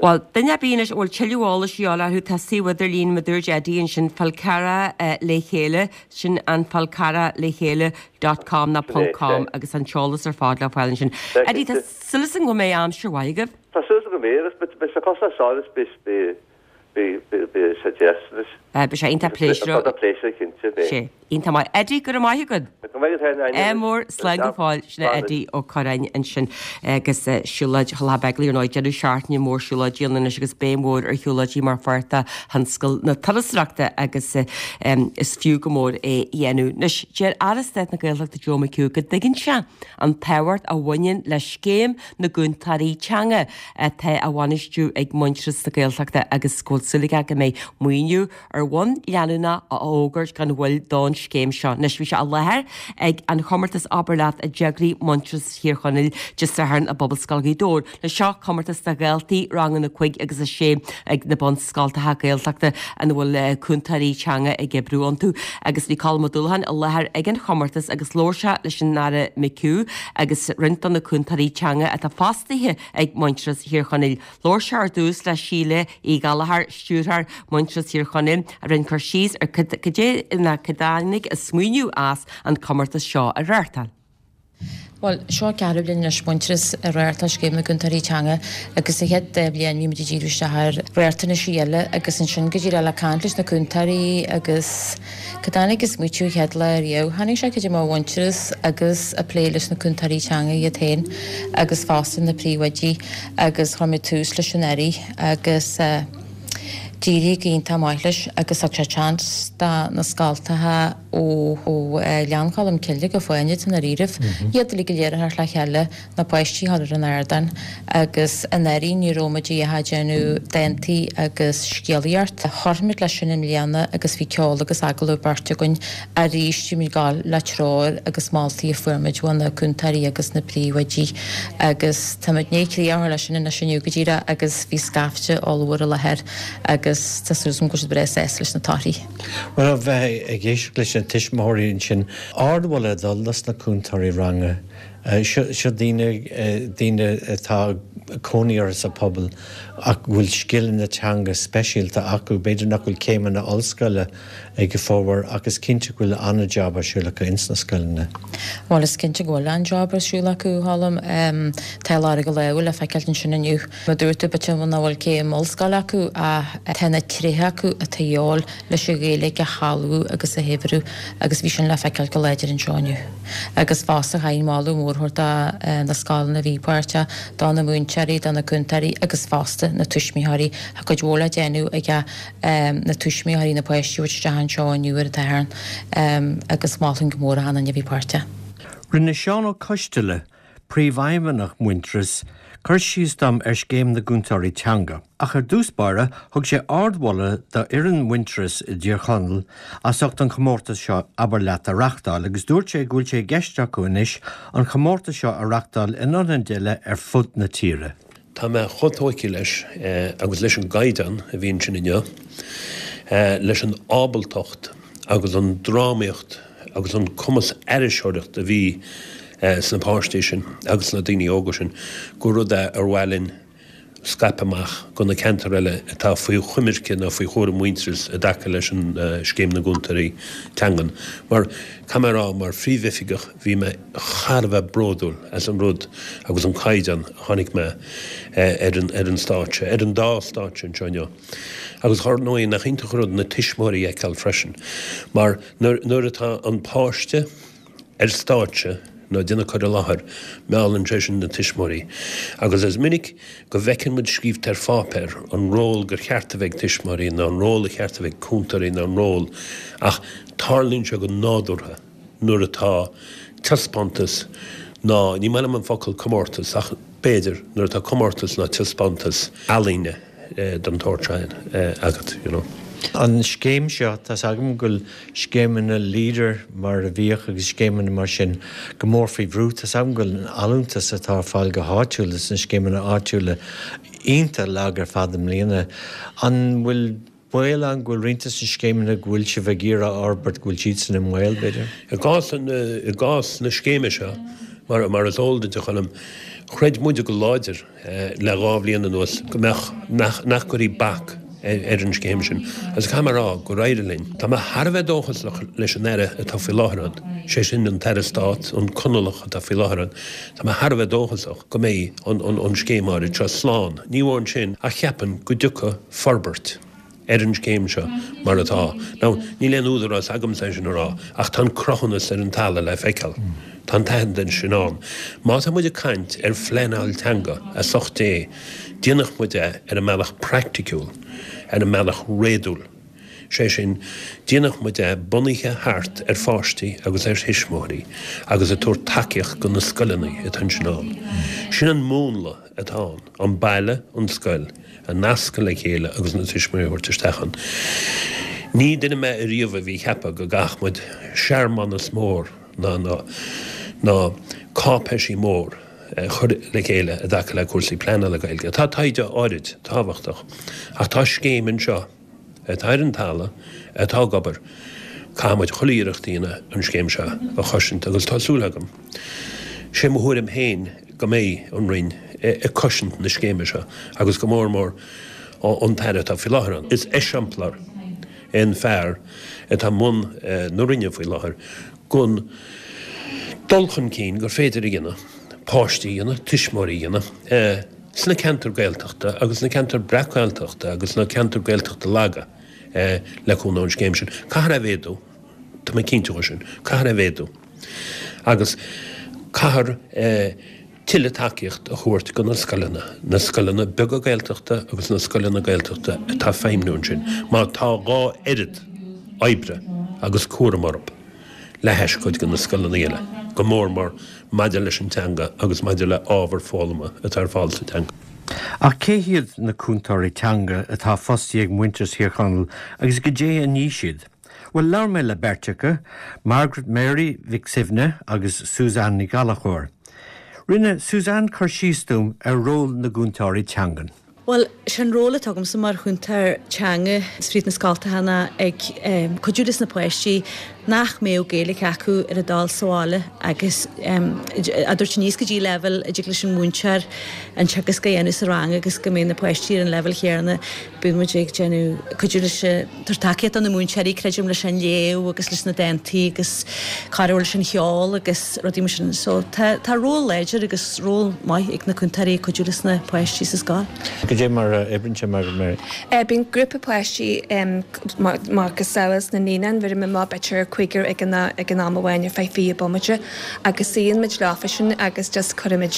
Bhuel, duine ar bith anois a bhfuil tuilleadh eolais a dhíobháil orthu, tá suíomh idirlín mar a dúirt Eddie ansin, Fál Carrach Le Chéile, sin an Fál Carrach Le Chéile dot com nó ponc com agus an t-eolas ar fad le fáil ansin. Eddie, tá súil agam go mbeidh aimsir mhaith agaibh. Tá súil agam go mbeidh agus beidh sé cosúil leis seo agus beidh beidh sé deas anois. Beidh sé iontach pléisiúrach. Iontach pléisiúrach, cinnte, beidh. Sé. Iontach maith. Eddie, go raibh maith agat. Go raibh maith agat féin, Áine. Ádh mór, slán go fóill. Sin é Eddie Ó Curráin ansin agus siúlóid Thulach Beigile ar ndóigh, deireadh seachtaine mór siúlóidí ann anois agus béim mhór ar shiúlóidí mar pháirt de thionscal na turasóireachta agus is fiú go mór é a dhéanamh. Anois, deir Aire Stáit na Gaeltachta Joe McHugh go dtuigeann sé an tábhacht a bhaineann le scéim na gcúntóirí teanga atá á bhainistiú ag Muintearas na Gaeltachta agus go bhfuil súil aige go mbeidh maoiniú ar bhonn leanúnach á fhógairt gan mhoill don scéim seo. Anois bhí sé i láthair ag an chomórtas Abair Leat a d'eagraigh Muintearas Thír Chonaill Dé Sathairn i bPobalscoil Ghaoth Dobhair. Anois seo comórtas do dhaltaí ranganna cúig agus a sé ag na bunscoltacha Gaeltachta ina bhfuil cúntóirí teanga ag oibriú iontu. Agus bhí Colm Ó Dúlacháin i láthair ag an chomórtas agus labhair sé leis an Aire McHugh agus roinnt de na cúntóirí teanga atá fostaithe ag Muintearas Thír Chonaill. Labhair sé ar dtús le Síle Uí Ghallchóir, Stiúrthóir Muintearas Thír Chonaill, a rinne cur síos ar cad é ná cad a tháinig an smaoineamh as an comórtas seo a reáchtáil. Bhuel, seo an ceathrú bliain anois Muintearas ag reáchtáil Scéim na gCúntóirí Teanga agus sa chéad dá bhliain bhí muid ag díriú isteach ar riachtanaisí eile agus ansin go díreach le caint leis na cúntóirí agus cad tháinig an smaoitiú an chéad lá riamh. Tháinig sé cad é mar Mhuintearas agus ag plé leis na cúntóirí teanga iad féin agus fosta na príomhoidí agus chuir muid tús leis anuraidh agus d'éirigh go iontach maith leis agus thug sé chance do na scoltacha ó Ghleann Cholm Cille go Fáinne i ndáiríribh iad uilig go léir a theacht le chéile, na páistí a chur ar an ardán agus anuraidh ní raibh muid ach ag déanamh dántaí agus scéalaíocht. Chuir muid leis sin i mbliana agus bhí ceol agus agallamh beirte againn arís bhí muid ag gabháil le treoir agus moltaí a fuair muid ó na cúntóirí agus na príomhoidí agus tá muid i ndiaidh críoch a chur leis sin anois inniu go díreach agus bhí scaifte ollmhór i láthair agus tá súil agam go bhfuil siad breá sásta leis na torthaí. Bhuel, a bheith ag éisteacht leis na tuismitheoirí ansin, ardmholadh ag dul dos na cúntóirí ranga Seo daoine daoine atá cónaí orthu sa pobal ach bhfuil scileanna teanga speisialta acu, b'fhéidir nach bhfuil céimeanna ollscoile ag a bhformhór ach is cinnte go bhfuil an-jab ar siúl acu ins na scoileanna. Bhuel is cinnte go bhfuil an-jab ar siúl acu Colm tá lorg a lámha le feiceáil ansin inniu. Mar a dúirt tú b'fhéidir nach bhfuil céim ollscoile acu ach tá na tréithe acu atá de dhíobháil leis an Ghaeilge a shealbhú agus a shaibhriú agus bhí sin le feiceáil go láidir anseo inniu. Agus fosta chaithfinn moladh mór a thabhairt do na scoileanna a bhí páirteach, do na múinteoirí, do na cúntóirí agus fosta na tuismitheoirí. Tá cuid mhór le déanamh ag na tuismitheoirí na páistí a thabhairt isteach anseo inniu ar an tSatharn agus mholfainn go mór achan duine a bhí páirteach. Rinne Seán Ó Coisteala, Príomhfheidhmeannach Muintearas, cur síos dom ar Scéim na gCúntóirí Teanga. Ach ar dtús báire, thug sé ardmholadh d'fhoireann Mhuintearas i dTír Chonaill as ucht an chomórtas seo Abair Leat a reachtáil agus dúirt sé go bhfuil sé i gceist acu anois an chomórtas seo a reachtáil in ionaid eile ar fud na tíre. Tá mé chomh tógtha leis agus leis an gcaighdeán a bhí ansin inniu, leis an ábaltacht agus an drámaíocht agus an cumas aithriseoireachta a bhí sna páistí sin agus sna daoine óga sin, gur rud é ar mhaith linn scaipeadh amach go na ceantair eile atá faoi choimirce nó faoi chúram Mhuintearas i dtaca leis an Scéim na gCúntóirí Teangan. Mar, caithfidh mé a rá, mar phríomhoifigeach, bhí mé thar a bheith bródúil as an rud agus an caighdeán a chonaic mé ar an ar an stáitse, ar an dá stáitse anseo inniu. Agus ar ndóigh, nach iontach an rud na tuismitheoirí a fheiceáil freisin, mar nuair nuair atá an páiste ar stáitse nó ag déanamh cur i láthair, meallann sé sin na tuismitheoirí. Agus is minic go bhfeiceann muid scríobhta ar pháipéar an ról gur cheart a bheith ag tuismitheoirí nó an ról a cheart a bheith ag cúntóirí nó an ról, ach tarlaíonn sé go nádúrtha nuair atá taispeántas ná, ní maith liom an focal comórtas ach b'fhéidir, nuair atá comórtas ná taispeántas ealaíne den tsórt seo agat, you know. An scéim seo, tá's agam go bhfuil scéimeanna Leader mar a bhíodh agus scéimeanna mar sin go mór faoi bhrú. Tá's agam go bhfuil an allúntas atá ar fáil go háitiúil sna scéimeanna áitiúla iontach lag ar fad i mbliana. An bhfuil baol ann go bhfuil roinnt de na scéimeanna go bhfuil sibh ag iarraidh a fhorbairt, go bhfuil siadsan i mbaol, b'fhéidir? I gcás, i gcás na scéime seo, mar, mar is eol duit, a Choilm, chreid muide go láidir le dhá bhliain anuas go mbeadh, nach, nach gcuirfí bac ar an scéim sin agus caithfidh mé a rá gur éirigh linn. Tá mé thar a bheith dóchasach leis an Aire atá faoi láthair ann, sé sin an tAire Stáit, an Conallach atá faoi láthair ann, tá mé thar a bheith dóchasach go mbeidh an, an, an scéim áirid seo slán. Ní amháin sin ach cheapfainn go dtiocfaidh forbairt. ar an scéim seo mar atá. Now, níl aon údarás agamsa é sin a rá, ach tá an cruthúnas ar an talamh le feiceáil. Tá an t-aitheantas sin ann. Má tá muid ag caint ar phleanáil teanga, as ucht Dé, déanadh muid é ar an mbealach praiticiúil, ar an mbealach réadúil. Sé sin, déanadh muid é bunaithe thart ar pháistí agus ar thuismitheoirí agus ag tabhairt tacaíocht go na scoileanna atá ansin ann. Sin an múnla atá ann, an baile, an scoil. a nascadh le chéile agus na tuismitheoirí a thabhairt isteach ann. Ní duine mé ariamh a bhí ag ceapadh go gcaithfeadh muid searmanas mór ná ná cáipéisí mór a chur le chéile i dtaca le cúrsaí pleanála Gaeilge. Tá taighde áirid tábhachtach ach tá scéim anseo atá ar an talamh, atá ag obair. Caithfidh muid chuile iarracht a dhéanamh an scéim seo a chosaint agus tá súil agam, sé mo thuairim féin, go mbeidh an Roinn ag cosaint na scéime seo agus go mór mór an tAire atá faoi láthair ann. Is eiseamplár é an fear atá i mbun na Roinne faoi láthair gon dul chun cinn gur féidir a dhéanamh, páistí a dhéanamh, tuismitheoirí a dhéanamh sna ceantair Gaeltachta agus sna ceantair breac-Ghaeltachta agus sna ceantair Gaeltachta laga le cúnamh ón scéim sin. Caithfear é a mhéadú, tá mé cinnte dhe sin, caithfear é a mhéadú. Agus caithfear tuilleadh tacaíocht a thabhairt go na scoileanna, na scoileanna beaga Gaeltachta agus na scoileanna Gaeltachta atá ag feidhmniú ansin, mar tá dhá oiread oibre agus cúram orthu le hais cuid de na scoileanna eile, go mór mór maidir leis an teanga agus maidir le ábhar foghlama atá ar fáil sa teanga. Ach cé hiad na cúntóirí teanga atá fostaithe ag Muintearas Thír Chonaill agus goidé a ní siad? Bhuel, labhair mé le beirt acu, Margaret Mary Mhic Suibhne agus Suzanne Ní Ghallchóir. Rinne Suzanne cur síos dom ar ról na gcúntóirí teangan. Bhuel, sé an ról atá agamsa mar chúntóir teanga fríd na scoltacha ná ag cuidiú leis na páistí nach mbeadh Gaeilge acu ar a dul sa bhaile agus a dtabhairt aníos go dtí leibhéal a dtig leis an múinteoir an teagasc a dhéanamh sa rang agus go mbeidh na páistí ar an leibhéal chéanna. Bíonn muid ag déanamh cuidiú leis tabhairt tacaíocht do na múinteoirí, creidim, leis an léamh agus leis na dántaí agus cabhrú leis an cheol agus rudaí mar sin. So tá tá ról láidir agus ról maith ag na cúntóirí ag cuidiú leis na páistí sa scoil. Cad é mar a oibríonn sé Margaret Mary? Bíonn grúpa páistí macasamhail sna naíonáin, bheireann muid amach b'fhéidir cúigear ag an ag an am amháin ar feadh fiche bomaite agus suíonn muid leofa sin agus just cuirimid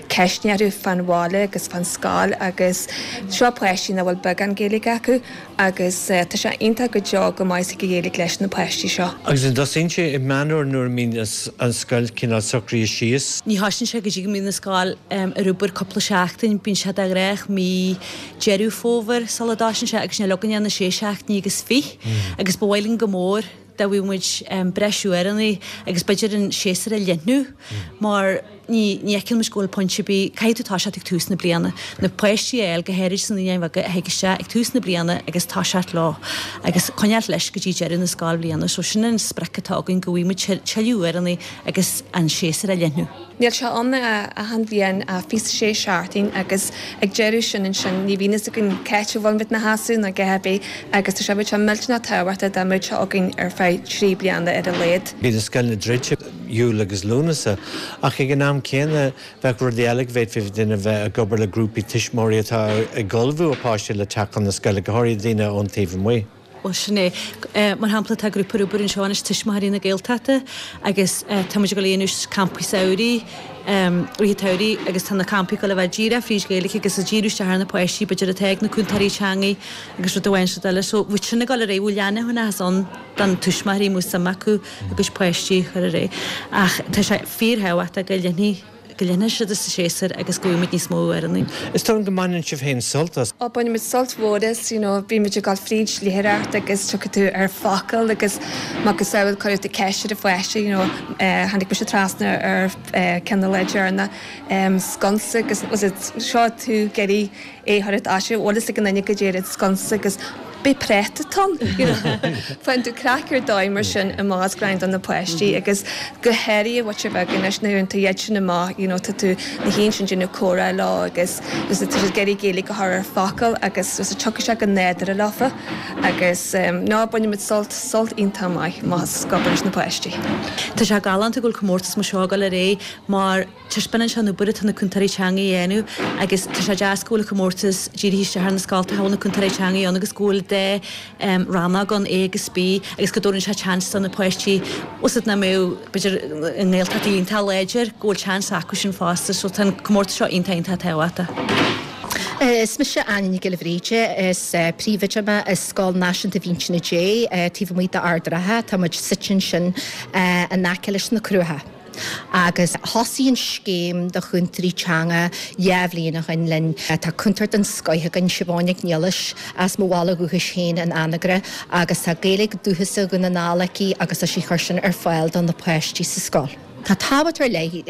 ceisteanna orthu fán bhaile agus fán scoil agus seo páistí nach bhfuil beagán Gaeilge acu agus tá sé iontach go deo go maith sa Ghaeilge leis na páistí seo. Agus an dtosaíonn sé i Meán Fhómhair nuair a mbíonn an scoil cineál socraithe síos? Ní thosaíonn sé go dtí go mbíonn an scoil ar obair cúpla seachtain, bíonn sé de ghnách mí Deireadh Fómhair sula dtosaíonn sé agus níl againn ach na sé seachtainí agus fiche agus ba mhaith linn go mór dá bhfaigheadh muid breis uaireanna agus b'fhéidir an séasúr a leathnú mar ní ní fheiceann muid go bhfuil pointe ar bith, caithfidh tú toiseacht ag tús na bliana, na páistí a fháil go háirid sna naíonáin bheaga a thig isteach ag tús na bliana agus toiseacht leo agus coinneáilt leis go dtí deireadh na scoilbhliana. So sin an sprioc atá againn go bhfaighidh muid tuilleadh uaireanna agus an séasúr a leathnú. Níl sé ann achan bhliain ach fiche sé seachtain agus ag deireadh sin ansin ní bhíonn fhios againn c'áit a bhfuil muid 'na sheasamh ná a dhath ar bith agus tá sé bheadh sé millteanach tábhachtach dá mbeadh sé againn ar feadh trí bliana ar a laghad. Bíonn na scoileanna druidte Iúil agus Lúnasa ach ag an am céanna bheadh rudaí eile go bhféadfaí duine bheith ag obair le grúpaí tuismitheoirí atá ag ullmhú a páistí le teacht chun na scoile, go háirithe daoine ón taobh amuigh. Bhuel, sin é. Mar shampla, tá grúpa ar obair anseo anois, Tuismitheoirí na Gaeltachta, agus tá muid ag dul a dhéanamh campaí samhraidh, rith an tsamhraidh, agus tá na campaí ag dul a bheith díreach fríd Ghaeilge agus ag díriú isteach ar na páistí, b'fhéidir, atá ag na cúntóirí teangaí agus rud amháin is rud eile. So, bheadh sin ag dul ar aghaidh, bheadh leanúnachas ann don tuismitheoirí má bhí suim acu a gcuid páistí a chur ar aghaidh. Ach tá sé fíorthábhachtach go leanfaidh. go leanfaidh siad sa séasúr agus go bhfaighimid níos mó uaireanna. Is dóigh liom go mbaineann sibh féin sult as. Ó, bainimid sult mhór as, you know, bímid ag dul fríd léitheoireacht agus tiocfaidh tú ar focal agus macasamhail cuirfidh tú ceist ar an pháiste, you know, tháinig mise trasna ar ceann an lá deireanach, sconsa agus was it seo tú ag iarraidh é a chur i dtaise, bhfuil fhios ag an duine goidé an sconsa agus b'é práta atá ann, you know. Faigheann tú craic ar dóigh mar sin amach as greann do na páistí agus go háirithe an mhuintir bheag anois nuair a théann tú iad sin amach, you know, tá tú na haon sin déanamh comhrá leo agus tá siad ag iarraidh Gaeilge a chur ar focal agus tiocfaidh sé go nádúrtha leofa agus no, bainimid sult, sult iontach maith amach as ag obair leis na páistí. Tá sé galánta go bhfuil comórtas mar seo ag dul ar aghaidh mar taispeánann sé an obair atá na cúntóirí teanga a dhéanamh agus tá sé deas go bhfuil an comórtas dírithe isteach ar na scoltacha a bhfuil na cúntóirí teanga ann agus go bhfuil dá rannóg ann, A agus B, agus go dtabharann sé seans do na páistí, os nach mbeadh, b'fhéidir, i nGaeltacht iontach láidir, go bhfuil seans acu sin fosta. So tá an comórtas seo iontach iontach tábhachtach. Is mise Áine Nic Giolla Bhríde, is príomhoide mé i Scoil Náisiúnta Mhínse Dé taobh amuigh d'Ard an Rátha. Tá muid suite ansin in aice leis na Cruacha. Agus thosaigh an scéim do chúntóirí teanga dhá bhliain ó shin linn. Tá cúntóir den scoith againn, Siobhán Nic Niallais, as mo bhaile dhúchais féin in Anagaire, agus tá Gaeilge dúchasach Dhún na nGall aici agus tá sí ag cur sin ar fáil do na páistí sa scoil. Tá tábhacht ar leith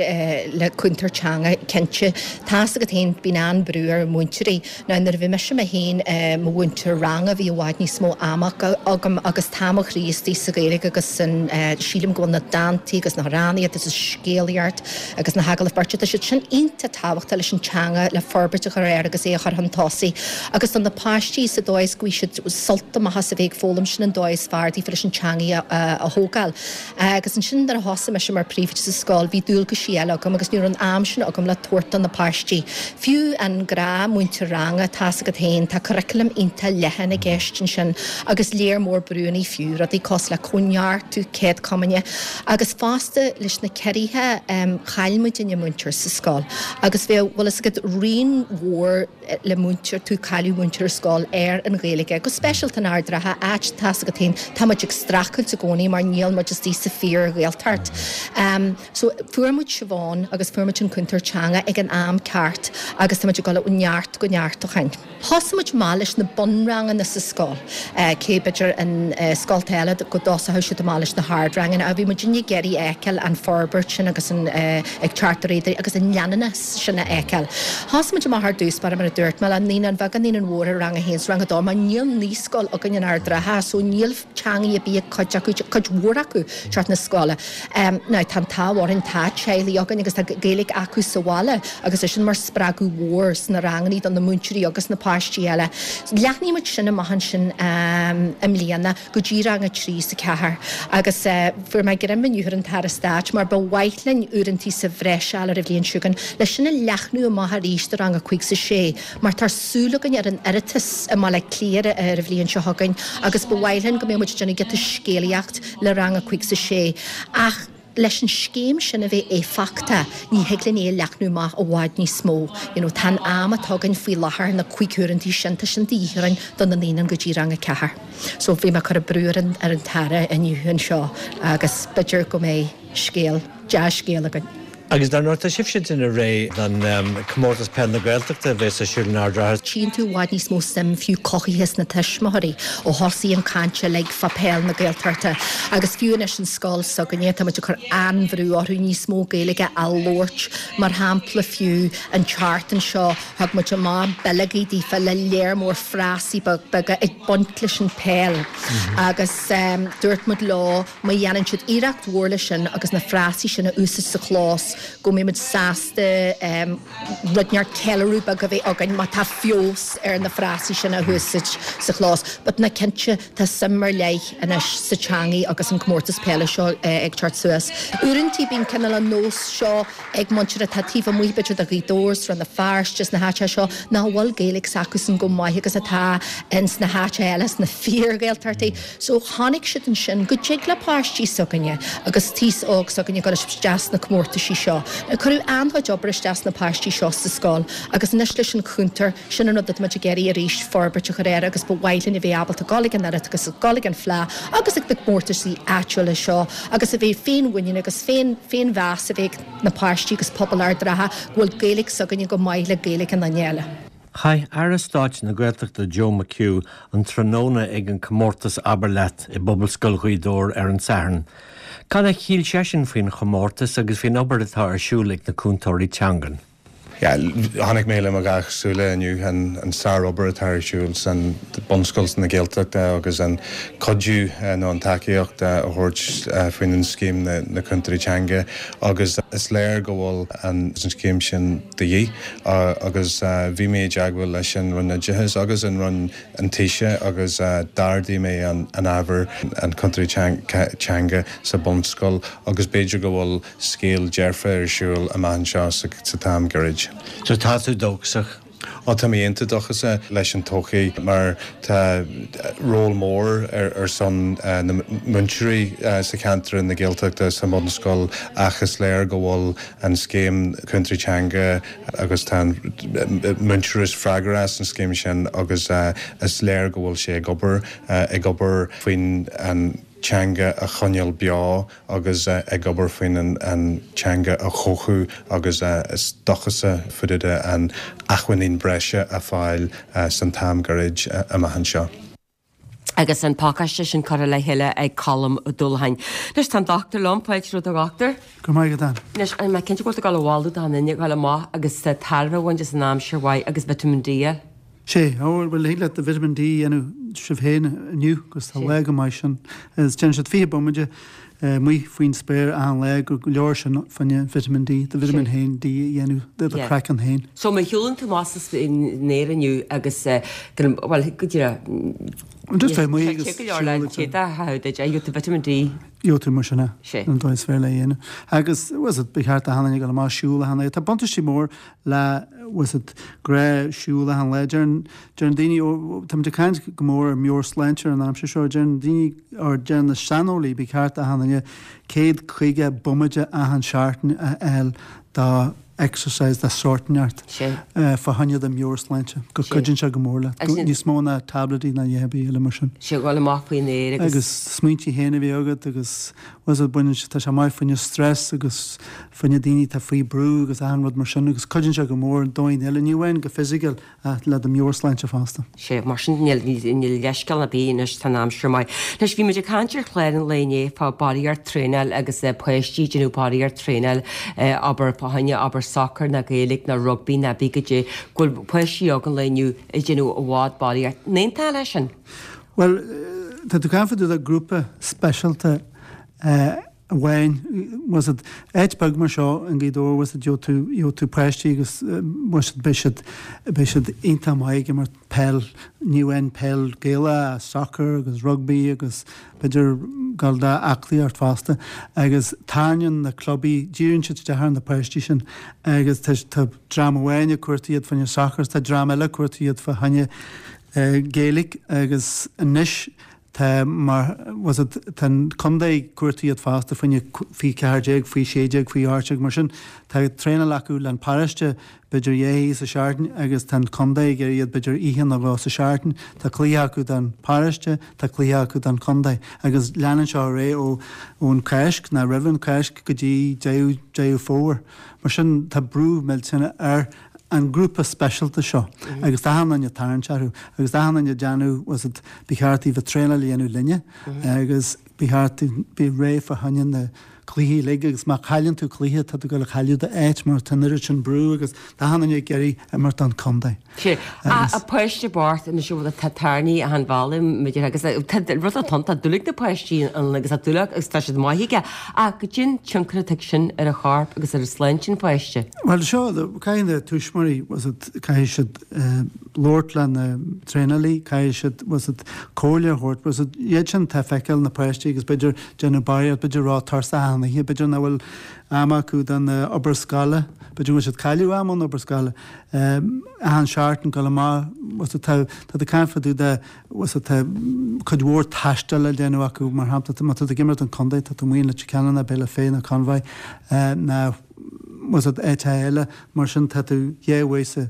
le cúntóir teanga, cinnte. Tá's agat féin, bíonn an-brú ar mhúinteoirí. Now, nuair a bhí mise mé féin i mo mhúinteoir ranga, bhí i bhfad níos mó ama agam agus tá mo chroí istigh sa Ghaeilge agus san, sílim go bhfuil na dántaí agus na hamhránaíocht agus an scéalaíocht agus na hagallaimh beirte, tá siad sin iontach tábhachtach leis an teanga, le forbairt a chur air agus é a chur chun tosaigh. Agus do na páistí sa dóigh is go bhfaighidh siad sult amach as a bheith ag foghlaim, sin an dóigh is fearr daofa leis an teanga a thógáil. Agus ansin nuair a thosaigh mise mar phríomhoide sa scoil bhí dualgaisí eile agam agus ní raibh an am sin agam le tabhairt do na páistí. Fiú an gnáthmhúinteoir ranga, tá's agat féin, tá curriculum iontach leathan i gceist ansin agus léar mór brúanna fiú, rudaí cosúil le cóineartú, céad comaoine agus fosta leis na ciorruithe chaill muidinne múinteoir sa scoil agus bheadh, bhfuil fhios agat, rian mhór le múinteoir, tú cailleadh múinteoir ar scoil ar an Ghaeilge, go speisialta in Ard an Rátha, áit, tá's agat féin, tá muid ag streachailt i gcónaí mar níl muid istigh sa fíor-Ghaeltacht. So fuair muid Siobhán agus fuair muid an cúntóir teanga ag an am ceart agus tá muid ag dul ó neart go neart ó shin. Thosaigh muid maith leis na bunranganna sa scoil, cé b'fhéidir in scolta eile go dtosódh siad amach leis na hardranganna ach bhí muidinne ag iarraidh a fheiceáil an forbairt sin agus an ag teacht ar aghaidh agus an leanúnachas sin a fheiceáil. Thosaigh muid amach ar dtús báire mar a dúirt mé le naíonáin bheaga, naíonáin mhóra, rang a haon 's rang a dó mar níl naíscoil againn in Ard an Rátha so níl teangaidh ar bith ag cuid acu, cuid mhór acu teacht na scoile. Now tá an t-ádh orainn, tá teaghlaigh againn agus tá Gaeilge acu sa bhaile agus é sin mar spreagadh mhór sna rangannaí do na múinteoirí agus na páistí eile. Leathnaigh muid sin amach ansin i mbliana go dtí rang a trí 's a ceathair agus fuair mé greim inniu ar an tAire Stáit mar ba mhaith linn uaireantaí sa bhreis a fháil ar an bhliain seo chugainn leis sin a leathnú amach arís do rang a cúig 's a sé mar tá súil againn ar an Oireachtas i mBaile Átha Cliath ar an bhliain seo chugainn agus ba mhaith linn go mbeadh muid ag déanamh giota scéalaíocht le rang a cúig 's a sé ach leis an scéim sin a bheith éifeachtach ní thig linn é a leathnú amach i bhfad níos mó. You know, tá an am atá againn faoi láthair na cúig huaireantaí sin, tá sin de dhíth orainn do na naíonáin go dtí rang a ceathair. So bhí mé ag cur brú ar an, ar an tAire inniu anseo agus b'fhéidir go mbeidh scéal, dea-scéal againn. Agus dar ndóigh tá sibhse ag déanamh réidh don Comórtas Peil na Gaeltachta a bheas ar siúl in Ard an Rátha. Tchíonn tú i bhfad níos mó suim fiú cothaithe sna tuismitheoirí ó thosaigh an caint uilig fá peil na Gaeltachta agus fiú anois an scoil s'againne tá muid ag cur an-bhrú orthu níos mó Gaeilge a labhairt mar shampla fiú an tseachtain seo thug muid amach bileogaí daofa le léar mór frásaí beaga ag baint leis an peil agus dúirt muid leo má dhéanann siad iarracht mhór leis sin agus na frásaí sin a úsáid sa chlós go mbeidh muid sásta rud inteacht ceiliúradh beag a bheith againn má tá feabhas ar na frásaí sin a úsáid sa chlós. But na cinnte tá suim ar leith anois sa teangaidh agus an comórtas peile seo ag teacht suas. Uaireanta bíonn cineál an nós seo ag muintir atá taobh amuigh b'fhéidir de Ghaoth Dobhair, 's Rann na Feirste, sna háiteacha seo nach bhfuil Gaeilge s'acusan go maith agus atá ins na háiteacha eile sna fíor-Ghaeltachtaí. So tháinig siad ansin go dtig le páistí s'againne agus taos óg s'againne dul isteach sna comórtaisí seo. Cuireadh an-chuid obair isteach sna páistí seo sa scoil agus anois leis an chúntóir sin an rud atá muid ag iarraidh arís forbairt a chur air agus ba mhaith linn a bheith ábalta dul ag an Oireachtas agus dul ag an Fleadh agus ag na comórtaisí áitiúla seo agus a bheith féinmhuinín agus féin féinmheas a bheith ag na páistí agus pobal Ard an Rátha go bhfuil Gaeilge s'againne go maith le Gaeilge an duine eile. Chaith Aire Stáit na Gaeltachta Joe McHugh an tráthnóna ag an comórtas Abair Leat i bPobalscoil Ghaoth Dobhair ar an Satharn. Cad a shíl seisean faoin chomórtas agus faoin obair atá ar siúl ag na cúntóirí teangan? Yeah, chonaic mé le mo dhá shúile inniu an, an sárobair atá ar siúl san bunscoil na Gaeltachta agus an cuidiú nó an tacaíocht a thabhairt faoin an scéim na, na cúntóirí teanga agus is léir go bhfuil an, an scéim sin de dhíth agus bhí mé i dteagmháil leis an Roinn Oideachais agus an Roinn an Taoiseach agus d'ardaigh mé an, an ábhar an cúntóirí teanga sa bunscoil agus b'fhéidir go bhfuil scéal dearfa ar siúl amach anseo sa, sa t-am gairid. So tá tú dóchasach. Ó tá mé iontach dóchasach leis an todhchaí mar tá ról mór ar, ar son uh, na múinteoirí uh, sa cheantar na Gaeltachta sa mbunscoil ach is léir go bhfuil an scéim cúntóirí teanga agus tá múinteoirí freagrach as an scéim sin agus uh, is léir go bhfuil sé ag obair uh, ag obair faoin an teanga a choinneáil beo agus uh, ag obair faoin an, an teanga a chothú agus uh, is dóchasach fúda an acmhainní breise a fáil uh, san t-am gairid uh, amach anseo. agus an pacáiste sin curtha le chéile ag Colm Ó Dúlacháin. Anois tá dochtúir liom fáilte romhat a dhochtúir? Go maith go Anois an mé cinnte go bhfuil bhálú an inne go amach agus tairbhe a bhaint as an aimsir mhaith agus vitamin D. Sé bhfuil le de vitamin D dhéanamh sibh féin inniu agus tá le go maith sin. Is déanann siad fiche bomaite amuigh faoin spéir an le go leor sin faoin vitamin D, de vitamin haon D dhéanamh de do craiceann féin. So má shiúlann tú amach in aer inniu agus well go dtí Just bheith amuigh agus siúl vitamin D. Jo tú mar sinna an dóigh is fearr le dhéanamh. Agus was it ba cheart achan duine go amach siúl achan lá. Tá buntáistí mór le was it gré siúl achan lá deireann deireann daoine tá de caint go mór ar meabhairshláinte an aimsir seo deireann daoine or deireann na saineolaí ba cheart achan duine céad caoga bomaite achan seachtain a fháil dá exercise de sórt inteacht fá choinne do mheabhairshláinte, go gcuidíonn sé go mór leat, níos mó ná tabletí ná a dhath eile mar sin. Sé dhul amach faoin aer agus. Agus smaointí féin a bheith agat agus bhfuil fhios agat baineann sé, tá sé maith fá choinne stress agus fá choinne daoine atá faoi brú agus achan rud mar sin agus cuidíonn sé go mór ar dhóigh eile, ní amháin go fisiciúil ach le do mheabhairshláinte fosta. Sé, mar sin níl níl leithscéal ar bith anois tá an aimsir maith. Anois bhí muid ag caint ar chlár an lae inné fá barraíocht traenáil agus páistí ag déanamh barraíocht traenáil abair fá choinne abair sacar ná Gaeilge ná rugbaí ná bí goidé go bhfuil páistí óga an lae inniu ag déanamh i bhfad barraíocht. An aontófá leis sin? Bhuel, tá tú ag caint fá dtaobh de grúpa speisialta amháin, bhfuil fhios agat, áit beag mar seo i nGaoth Dobhair, bhfuil fhios agat, gheobhaidh tú, gheobhaidh tú páistí agus bhfuil fhios agat, beidh siad, beidh siad iontach maith ag imirt peil, ní amháin peil Gaelach, soccer agus rugbaí agus b'fhéidir dul do aclaíocht fosta agus tarraingíonn na clubaí, díríonn siad isteach ar na páistí sin agus tá, tá dream amháin ag cuartú iad fá choinne soccer is tá dream eile ag cuartú iad fá choinne Gaeilge agus anois Tá mar, bhfuil fhios agat, tá an contae ag cuartú iad fosta fá choinne faoi ceathair déag, faoi sé déag, faoi ocht déag, mar sin tá traenáil acu le an paróiste b'fhéidir dhá oíche sa seachtain agus tá an contae ag iarraidh iad b'fhéidir oíche nó dhó sa seachtain. Tá cluiche acu don paróiste, tá cluiche acu don chontae agus leanann seo ar aghaidh ó ón Cháisc nó roimh an Cháisc go dtí deireadh Deireadh Fómhair. Mar sin tá brú millteanach ar an grúpa speisialta seo agus tá achan duine ag tarraingt orthu agus tá achan duine ag déanamh bhfuil fhios agat ba cheart daoibh traenáil a dhéanamh linne agus ba cheart daoibh bheith réidh fá choinne na cluichí uilig agus má chailleann tú cluiche tá tú ag dul a chailleadh d'áit mar tá an oiread sin brú agus tá achan duine ag iarraidh imirt don chontae. Sea, a páiste bocht anois a bhfuil tá tairní achan bhealaigh maidir agus tá rud atá ann tá dúil ag na páistí ann agus tá dúil acu agus tá siad maith aige ach goidé an tionchar atá ag sin ar an chorp agus ar shláinte an pháiste. Bhuel seo, caithfidh na tuismitheoirí, bhfuil fhios agat, caithfidh siad labhairt le na traenálaí, caithfidh siad, bhfuil fhios agat, comhairle a thabhairt, bhfuil fhios agat, iad sin atá ag feiceáil na páistí agus b'fhéidir déanamh barraíocht, b'fhéidir ró-tuirseach achan oíche, b'fhéidir nach bhfuil am acu don obair scoile, b'fhéidir go bhfuil siad ag cailleadh am ón obair scoile, achan seachtain dul amach, bhfuil fhios agat, tá, tá tú ag caint fá dtaobh de, bhfuil fhios agat, tá cuid mhór taistil le déanamh acu, mar shampla, má tá tú ag imirt don chontae, tá tú amuigh in Leitir Ceanainn ná Béal Átha Féith ná Conmhaigh ná, bhfuil fhios agat, áit eile, mar sin tá tú dhá uair sa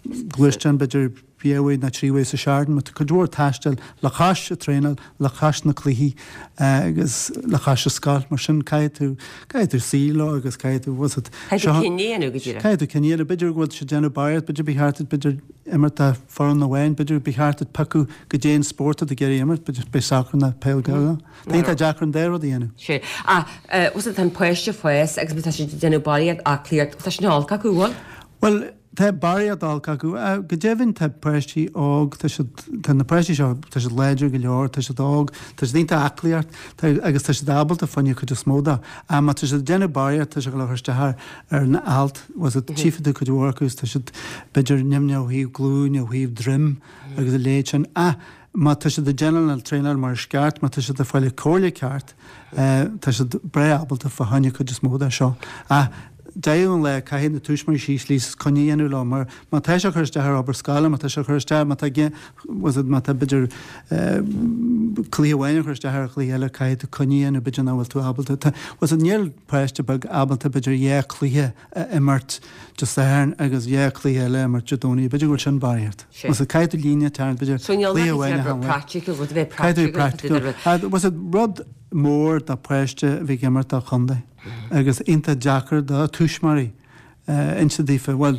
ghluaisteán, b'fhéidir dhá uair nó trí uair sa seachtain, mar tá cuid mhór taistil le cois an traenáil, le cois na cluichí agus le cois an scoil, mar sin caithfidh tú, caithfidh tú suí leo agus caithfidh tú, bhfuil fhios agat, Caithfidh tú cinneadh a dhéanamh go díreach. Caithfidh tú cinneadh a dhéanamh, b'fhéidir go bhfuil siad ag déanamh barraíocht, b'fhéidir ba cheart duit, b'fhéidir imirt do foireann amháin, b'fhéidir ba cheart duit piocadh goidé an spórt atá tú ag iarraidh imirt, b'fhéidir b'é sacar nó peil Gaelach. Tá iontach deacair an dá rud a dhéanamh. Sea. Ach, bhfuil fhios agat, tá an páiste ag fás agus má tá siad ag déanamh barraíocht aclaíocht, tá sin olc acu, bhfuil? Bhuel, tá barraíocht olc acu. Go deimhin tá páistí óg, tá siad, tá na páistí seo, tá siad láidir go leor, tá siad óg, tá siad iontach aclaíocht, tá, agus tá siad ábalta fá choinne cuid is mó de. Ach má tá siad ag déanamh barraíocht, tá sé ag dul a chur isteach ar, ar na ailt, bhfuil fhios agat, tchífidh tú cuid mhór acu is tá siad, b'fhéidir, nimhneach ó thaobh glúin, ó thaobh droim agus a leithéid sin. Ach má tá siad ag déanamh an traenáil mar is ceart, má tá siad ag fáil an comhairle ceart, tá siad breá ábalta fá choinne cuid is mó de seo. Ach deireadh an lae, caithfidh na tuismitheoirí suí síos is coinne a dhéanamh leo, mar má tá sé ag cur isteach ar obair scoile, má tá sé ag cur isteach, má tá, bhfuil fhios agat, má tá b'fhéidir cluiche amháin ag cur isteach ar chluiche eile, caithfidh tú coinne a dhéanamh, b'fhéidir nach bhfuil tú ábalta, tá, bhfuil fhios agat, níl páiste beag ábalta b'fhéidir dhá chluiche a imirt Dé Sathairn agus dhá chluiche eile a imirt Dé Domhnaigh, b'fhéidir go bhfuil sin barraíocht. Bhfuil fhios agat, caithfidh tú líne a tharraingt, b'fhéidir cluiche amháin a shamhlú. Caithfidh tú practical. Bhfuil fhios agat, rud mór do pháiste a bheith ag imirt do chontae agus iontach deacair do tuismitheoirí inse daofa, bhuel,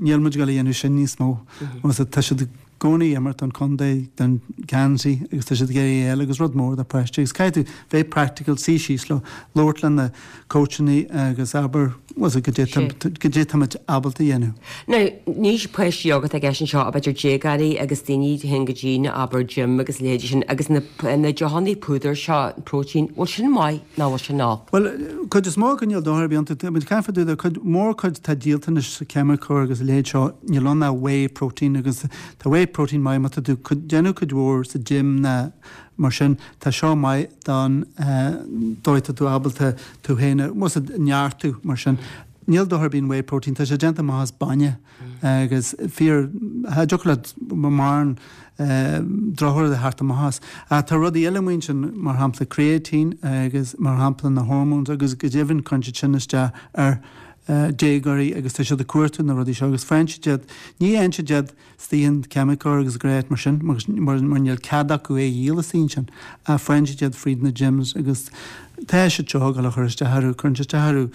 níl muid ag dul a dhéanamh sin níos mó. Bhfuil fhios agat, tá siad i gcónaí ag imirt don chontae, don gheansaí agus tá siad ag iarraidh é a fháil agus rud mór do pháiste agus caithfidh tú bheith practical, suí síos leo, labhairt le na coachannaí agus abair, bhfuil fhios agat, goidé tá muid ábalta a dhéanamh. Now, ní páistí óga atá i gceist anseo ach b'fhéidir déagóirí agus daoine a théann go dtí na, abair, gym agus a leithéidí sin agus na, na deochannaí púdair seo, protein, bhfuil sin maith nó bhfuil sin olc? Bhuel, cuid is mó acu níl dochar ar bith iontu. Tá muid ag caint fá dtaobh de cuid mórchuid atá díolta anois sa ceimiceoir agus a leithéid seo, níl ann ach whey protein agus tá whey protein maith má tá tú ag déanamh cuid mhór sa gym ná mar sin, tá seo maith don dóigh tá tú ábalta tú féin a, bhfuil fhios agat, neartú mar sin. Níl dochar ar bith in whey protein, tá sé déanta amach as bainne agus fíor, cha dtiocfadh leat mórán drochrud a theacht amach as. Ach tá rudaí eile amuigh ansin, mar shampla creatine agus mar shampla na hormones agus go deimhin cuireann siad sin isteach ar déagóirí agus tá siad ag cuartú na rudaí seo agus faigheann siad iad, ní fhaigheann siad iad istigh in ceimiceoir agus gréit mar sin mar mar níl cead acu é a dhíol istigh ansin ach faigheann siad iad fríd na gyms agus tá siad seo ag dul a chur isteach orthu, cuireann siad isteach orthu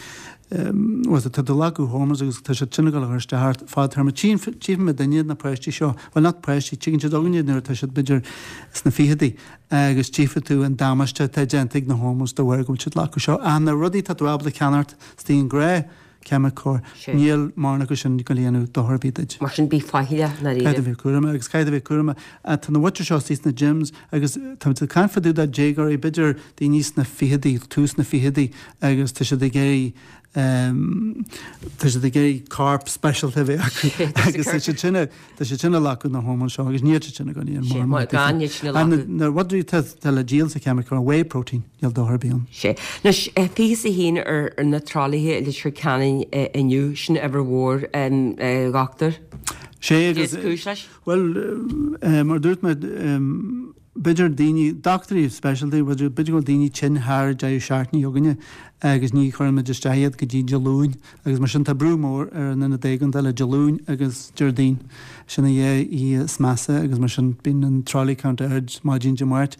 bhuel tá tú ag glacadh hormones agus tá siad sin ag dul a chur isteach ort fadtéarma. Tchífidh muidinne na páistí seo, bhuel not páistí, tuigeann siad againne nuair atá siad b'fhéidir sna ficheadaí agus tchífidh tú an damáiste atá déanta ag na hormones de bharr go bhfuil siad ag glacadh seo. Ach na rudaí atá tú ábalta ceannacht istigh in gnáth ceimiceoir, níl mórán acu sin ag dul a dhéanamh dochar ar bith duit. Mar sin bí faichilleach ndáiríre. Caithfidh tú a bheith cúramach agus caithfidh tú a bheith cúramach. Tá na mhuintir seo istigh sna gyms agus tá muid ag caint fá dtaobh de déagóirí, b'fhéidir daoine sna ficheadaí, tús na ficheadaí agus tá siad ag iarraidh tá siad ag iarraidh corp speisialta a bheith acu agus tá siad sin tá siad sin ag glacadh na hormóin seo agus níl siad sin ag dul a dhéanamh mórán Gan iad sin a ghlacadh. Na rudaí atá le díol sa cheimiceoir, whey protein, níl dochar ar bith ann. Sea. Anois, fiche is a haon ar na tralaithe i Leitir Ceanainn inniu, sin uimhir mhór, a dhochtúir. Sea agus. Cad is cúis leis? Bhuel, mar a dúirt mé, b'fhéidir daoine, dochtúirí speisialta, b'fhéidir go bhfuil daoine tinn thar an deireadh seachtaine againne agus ní chuireann muid isteach iad go dtí Dé Luain agus mar sin tá brú mór ar an Ionad Éigeandála Dé Luain agus Déardaoin. Sin an dhá oíche is measa agus mar sin bíonn an trolley count ard maidin Dé Máirt.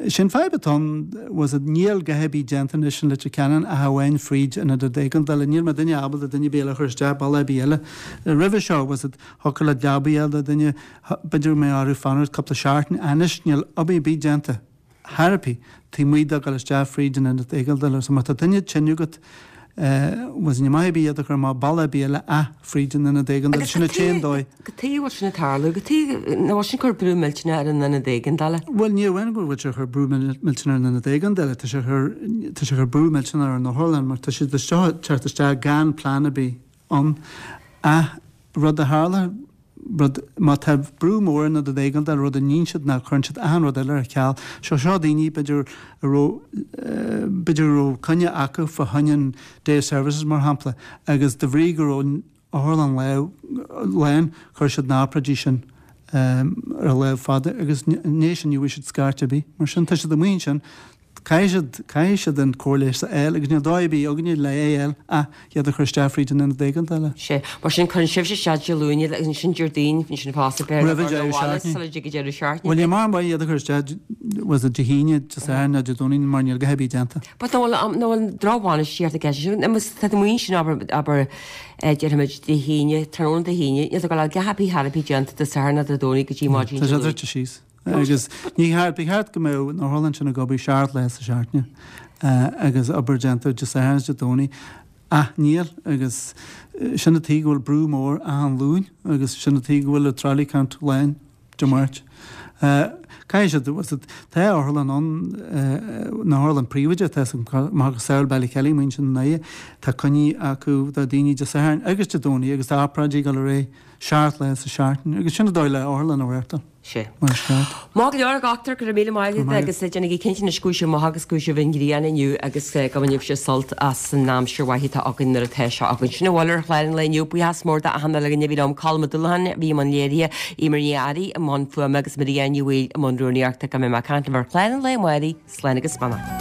Sin fadhb atá ann, was it, níl a dhath ar bith déanta anois in Leitir Ceanainn ach amháin fríd an Ionad Éigeandála. Níl mé duine ábalta duine ar bith eile a chur isteach bealach ar bith eile. Roimhe seo, was it, thiocfadh leat leaba a fháil do dhuine, B'fhéidir go mbeadh orthu fanacht cúpla seachtain. Anois níl obair ar bith déanta chor ar bith taobh amuigh de dhul isteach fríd an ionad éigeandála. So má tá duine tinn agat, bhuel ní maith ar bith iad a chur amach bealach ar bith eile ach fríd an ionad éigeandála. Agus Sin an t-aon dóigh. Cad chuige a bhfuil sin ag tarlú? Cad chuige nach bhfuil sin ag cur brú millteanach ar an ionad éigeandála? Bhuel ní amháin go bhfuil sé ag cur brú millteanach ar an ionad éigeandála, tá sé ag cur tá sé ag cur brú millteanach ar an otharlann mar tá siad ag teacht isteach gan plean ar bith ann ach rud a tharla rud, má tá brú mór ar an ionad éigeandála, rud a níonn siad ná cuireann siad achan rud eile ar ceal. Seo, seo daoine, b'fhéidir, a raibh, b'fhéidir a raibh coinne acu fá choinne an day services, mar shampla, agus de bhrí go raibh an otharlann lán, chuir siad na hobráidí sin ar an lámh fada agus i ndiaidh sin ní bhfuair siad scairt ar bith. Mar sin, tá siad amuigh ansin. Caithfidh siad, caithfidh siad an cóir leighis a fháil agus níl dóigh ar bith againne le é a fháil ach iad a chur isteach fríd an ionad éigeandála. Sea. Mar sin, cuireann sibhse isteach Dé Luain iad agus ansin Déardaoin, ansin fosta, b'fhéidir, Roimh an deireadh seachtaine. sula dtig an deireadh seachtaine. Bhuel, ní mar mhaith iad a chur isteach, was it Dé hAoine, Dé Sathairn nó Dé Domhnaigh mar níl a dhath ar bith déanta. But nach bhfuil, nach bhfuil drochbhainistíocht i gceist ansin? Má tá tú amuigh ansin, abair, abair, déarfaimid Dé hAoine, tráthnóna Dé hAoine, níl tú ag dul a fháil a dhath ar bith chor ar bith déanta Dé Sathairn ná Dé Domhnaigh go dtí maidin Tá Dé sé Luain. druidte síos. Agus ní cheart, ba cheart go mbeadh an otharlann sin ag obair seacht lá sa seachtain agus obair déanta Dé Sathairn is Dé Domhnaigh ach níl agus sin an tuige go bhfuil brú mór achan Luan agus sin an tuige go bhfuil an trolley count lán Dé Máirt. Caithfidh siad, tá otharlann ann, an otharlann príobháideach, tá macasamhail Ballykelly, amuigh ansin i nDoire, tá coinní acu do daoine Dé Sathairn agus Dé Domhnaigh agus tá obráidí ag dul ar aghaidh seacht lá sa seachtain agus sin an dóigh le otharlann a reáchtáil. Sea. Mar is ceart. Maith go leor, a dhochtúir, go raibh míle maith agat agus déanaigí cinnte anois go bhfuil sibh maith agus go bhfuil sibh an ghrian inniu agus go mbainfidh sibh sult as an aimsir mhaith atá againn nuair atá sé againn. Sin a bhfuil ar chlár an lae inniu. Buíochas mór d'achan uile dhuine a bhí liom, Colm Ó Dúlacháin a bhí i mbun léirithe, Eimear Ní Fhearraigh i mbun fuaime agus Maria Ní Bhaoill i mbun rúnaíochta. Go mbeidh mé ag caint libh ar chlár an lae amárach. Slán agus beannacht.